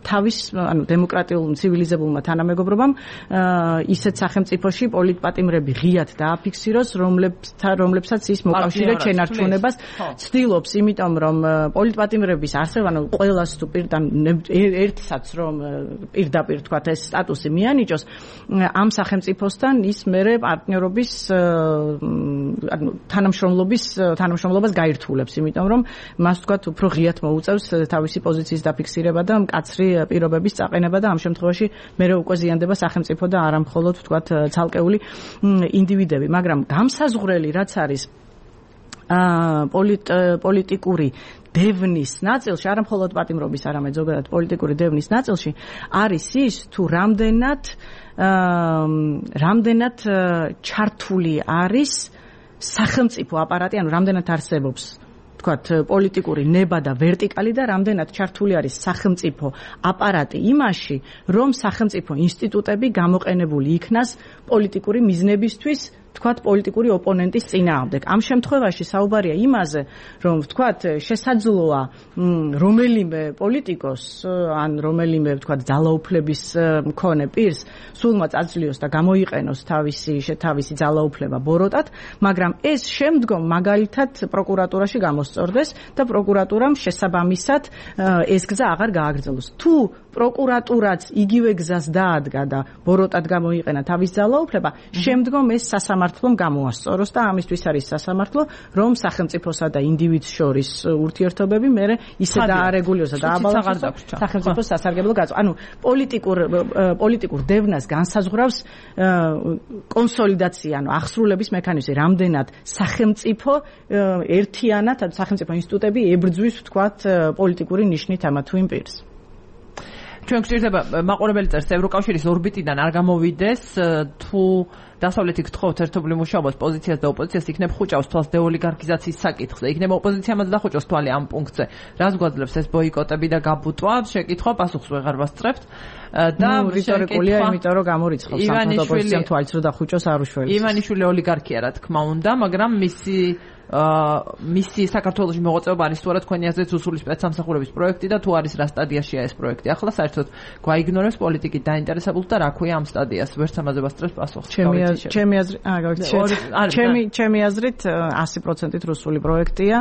თავის, ანუ დემოკრატიულ ცივილიზებულმა თანამეგობრობამ ისეთ სახელმწიფოში პოლიტპატიმრები ღიად დააფიქსიროს, რომლებთან რომლებსაც ის მოკავშირედ შენარჩუნებას ცდილობს, იმიტომ რომ პოლიტპატიმრების არსება, ანუ ყველას თუ პირდან ერთსაც რომ პირდაპირ თქვათ ეს სტატუსი მიანიჭოს, ამ სახელმწიფოსთან ის მერე პარტნიორობის ანუ თანამშრომლობის თანამშრომლობას გაირთულებს, იმიტომ რომ მას თქვათ უფრო ღიად მოუწევს თავისი პოზიციის დაფიქსირება და მკაცრი პირობების წაყენება და ამ შემთხვევაში მერე უკვე ზიანდება სახელმწიფო და არა მხოლოდ თქვათ ცალკეული ინდივიდები, მაგრამ გამსაზღვრელი რაც არის პოლიტიკური დევნის ნაწილში, არა მხოლოდ პატიმრობის, არამედ ზოგადად პოლიტიკური დევნის ნაწილში არის ის თუ რამდენად რამდენად ჩართული არის სახელმწიფო აპარატი, ანუ რამდენად არსებობს თქვათ პოლიტიკური ნება და ვერტიკალი და რამდენად ჩართული არის სახელმწიფო აპარატი იმაში, რომ სახელმწიფო ინსტიტუტები გამოყენებული იქნას პოლიტიკური მიზნებისთვის თქვათ პოლიტიკური ოპონენტის წინააღმდეგ. ამ შემთხვევაში საუბარია იმაზე, რომ თქვათ შესაძლოა რომელიმე პოლიტიკოს ან რომელიმე თქვათ ძალაუფლების მქონე პირს სულმა წაძლიოს და გამოიყენოს თავისი თავისი ძალაუფლება ბოროტად, მაგრამ ეს შემდგომ მაგალითად პროკურატურაში გამოსწორდეს და პროკურატურამ შესაბამისად ეს გზა აღარ გააგრძელოს. თუ პროკურატურაც იგივე გზას დაადგა და ბოროტად გამოიყენა თავის ძალაუფლება, შემდგომ ეს სასამართლომ გამოასწოროს და ამისთვის არის სასამართლო, რომ სახელმწიფოსა და ინდივიდს შორის ურთიერთობები მერე ისე დაარეგულიროს და დააბალანსოს სახელმწიფოს სასარგებლო გაწ. ანუ პოლიტიკურ პოლიტიკურ დევნას განსაზღვრავს კონსოლიდაცია, ანუ აღსრულების მექანიზმი, რამდენად სახელმწიფო ერთიანად, ანუ სახელმწიფო ინსტიტუტები ებრძვის, ვთქვათ, პოლიტიკური ნიშნით ამა თუ იმ პირს. ჩვენ გვჭირდება მაყურებელი წერს ევროკავშირის ორბიტიდან არ გამოვიდეს თუ დასავლეთი გთხოვთ ერთობლივ მუშაობას პოზიციას და ოპოზიციას იქნებ ხუჭავს თვალს დეოლიგარქიზაციის საკითხზე. იქნება ოპოზიციამაც დახუჭოს თვალი ამ პუნქტზე. რას გვაძლევს ეს ბოიკოტები და გაბუტვა? შეკითხვა პასუხს ვეღარ ვასწრებთ. და რიტორიკულია, იმიტომ რომ გამორიცხავს სამხედრო ოპოზიციამ თვალს რომ დახუჭოს არ უშველებს. ივანიშვილი ოლიგარქია რა თქმა უნდა, მაგრამ მისი მისი საქართველოში მოღვაწეობა არის სწორად თქვენი აზრით უსული სპეცსამსახურების პროექტი და თუ არის რა სტადიაშია ეს პროექტი. ახლა საერთოდ გვაიგნორებს პოლიტიკით დაინტერესებულ და რა ქვია ამ სტადიას. ვერც ამაზე ვასწრებს პასუხს. ჩემი აზრით, აა ჩემი ჩემი აზრით ასი პროცენტით რუსული პროექტია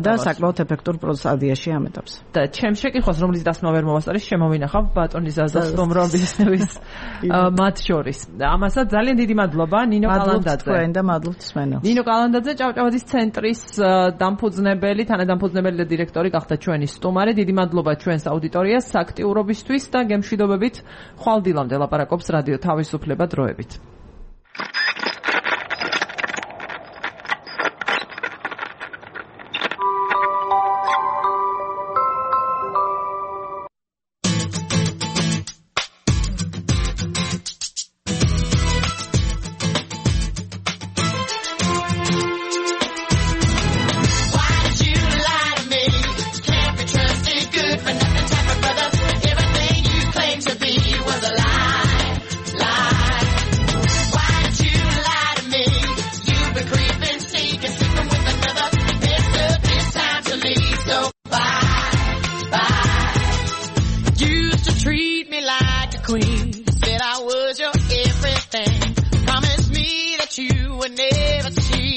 და საკმაოდ ეფექტურ სტადიაში ამ ეტაპზე. და ჩემ შეკითხვას რომლის დასმა ვერ მოვასწარი, შემოვინახავ ბატონის აზრს რომ რომბისნევის მათ შორის. ამასაც ძალიან დიდი მადლობა ნინო კალანდაძე. თქვენ და მადლობთ სმენელს. ნინო კალანდაძე ჭავჭავაძის ცენტრის დამფუძნებელი, თანადამფუძნებელი და დირექტორი გახდა ჩვენი სტუმარი. დიდი მადლობა ჩვენს აუდიტორიას აქტიურობისთვის და გემშვიდობებით ხვალ დილამდე ლაპარაკობს რადიო თავისუფლება დროებით. Said I was your everything. Promised me that you would never see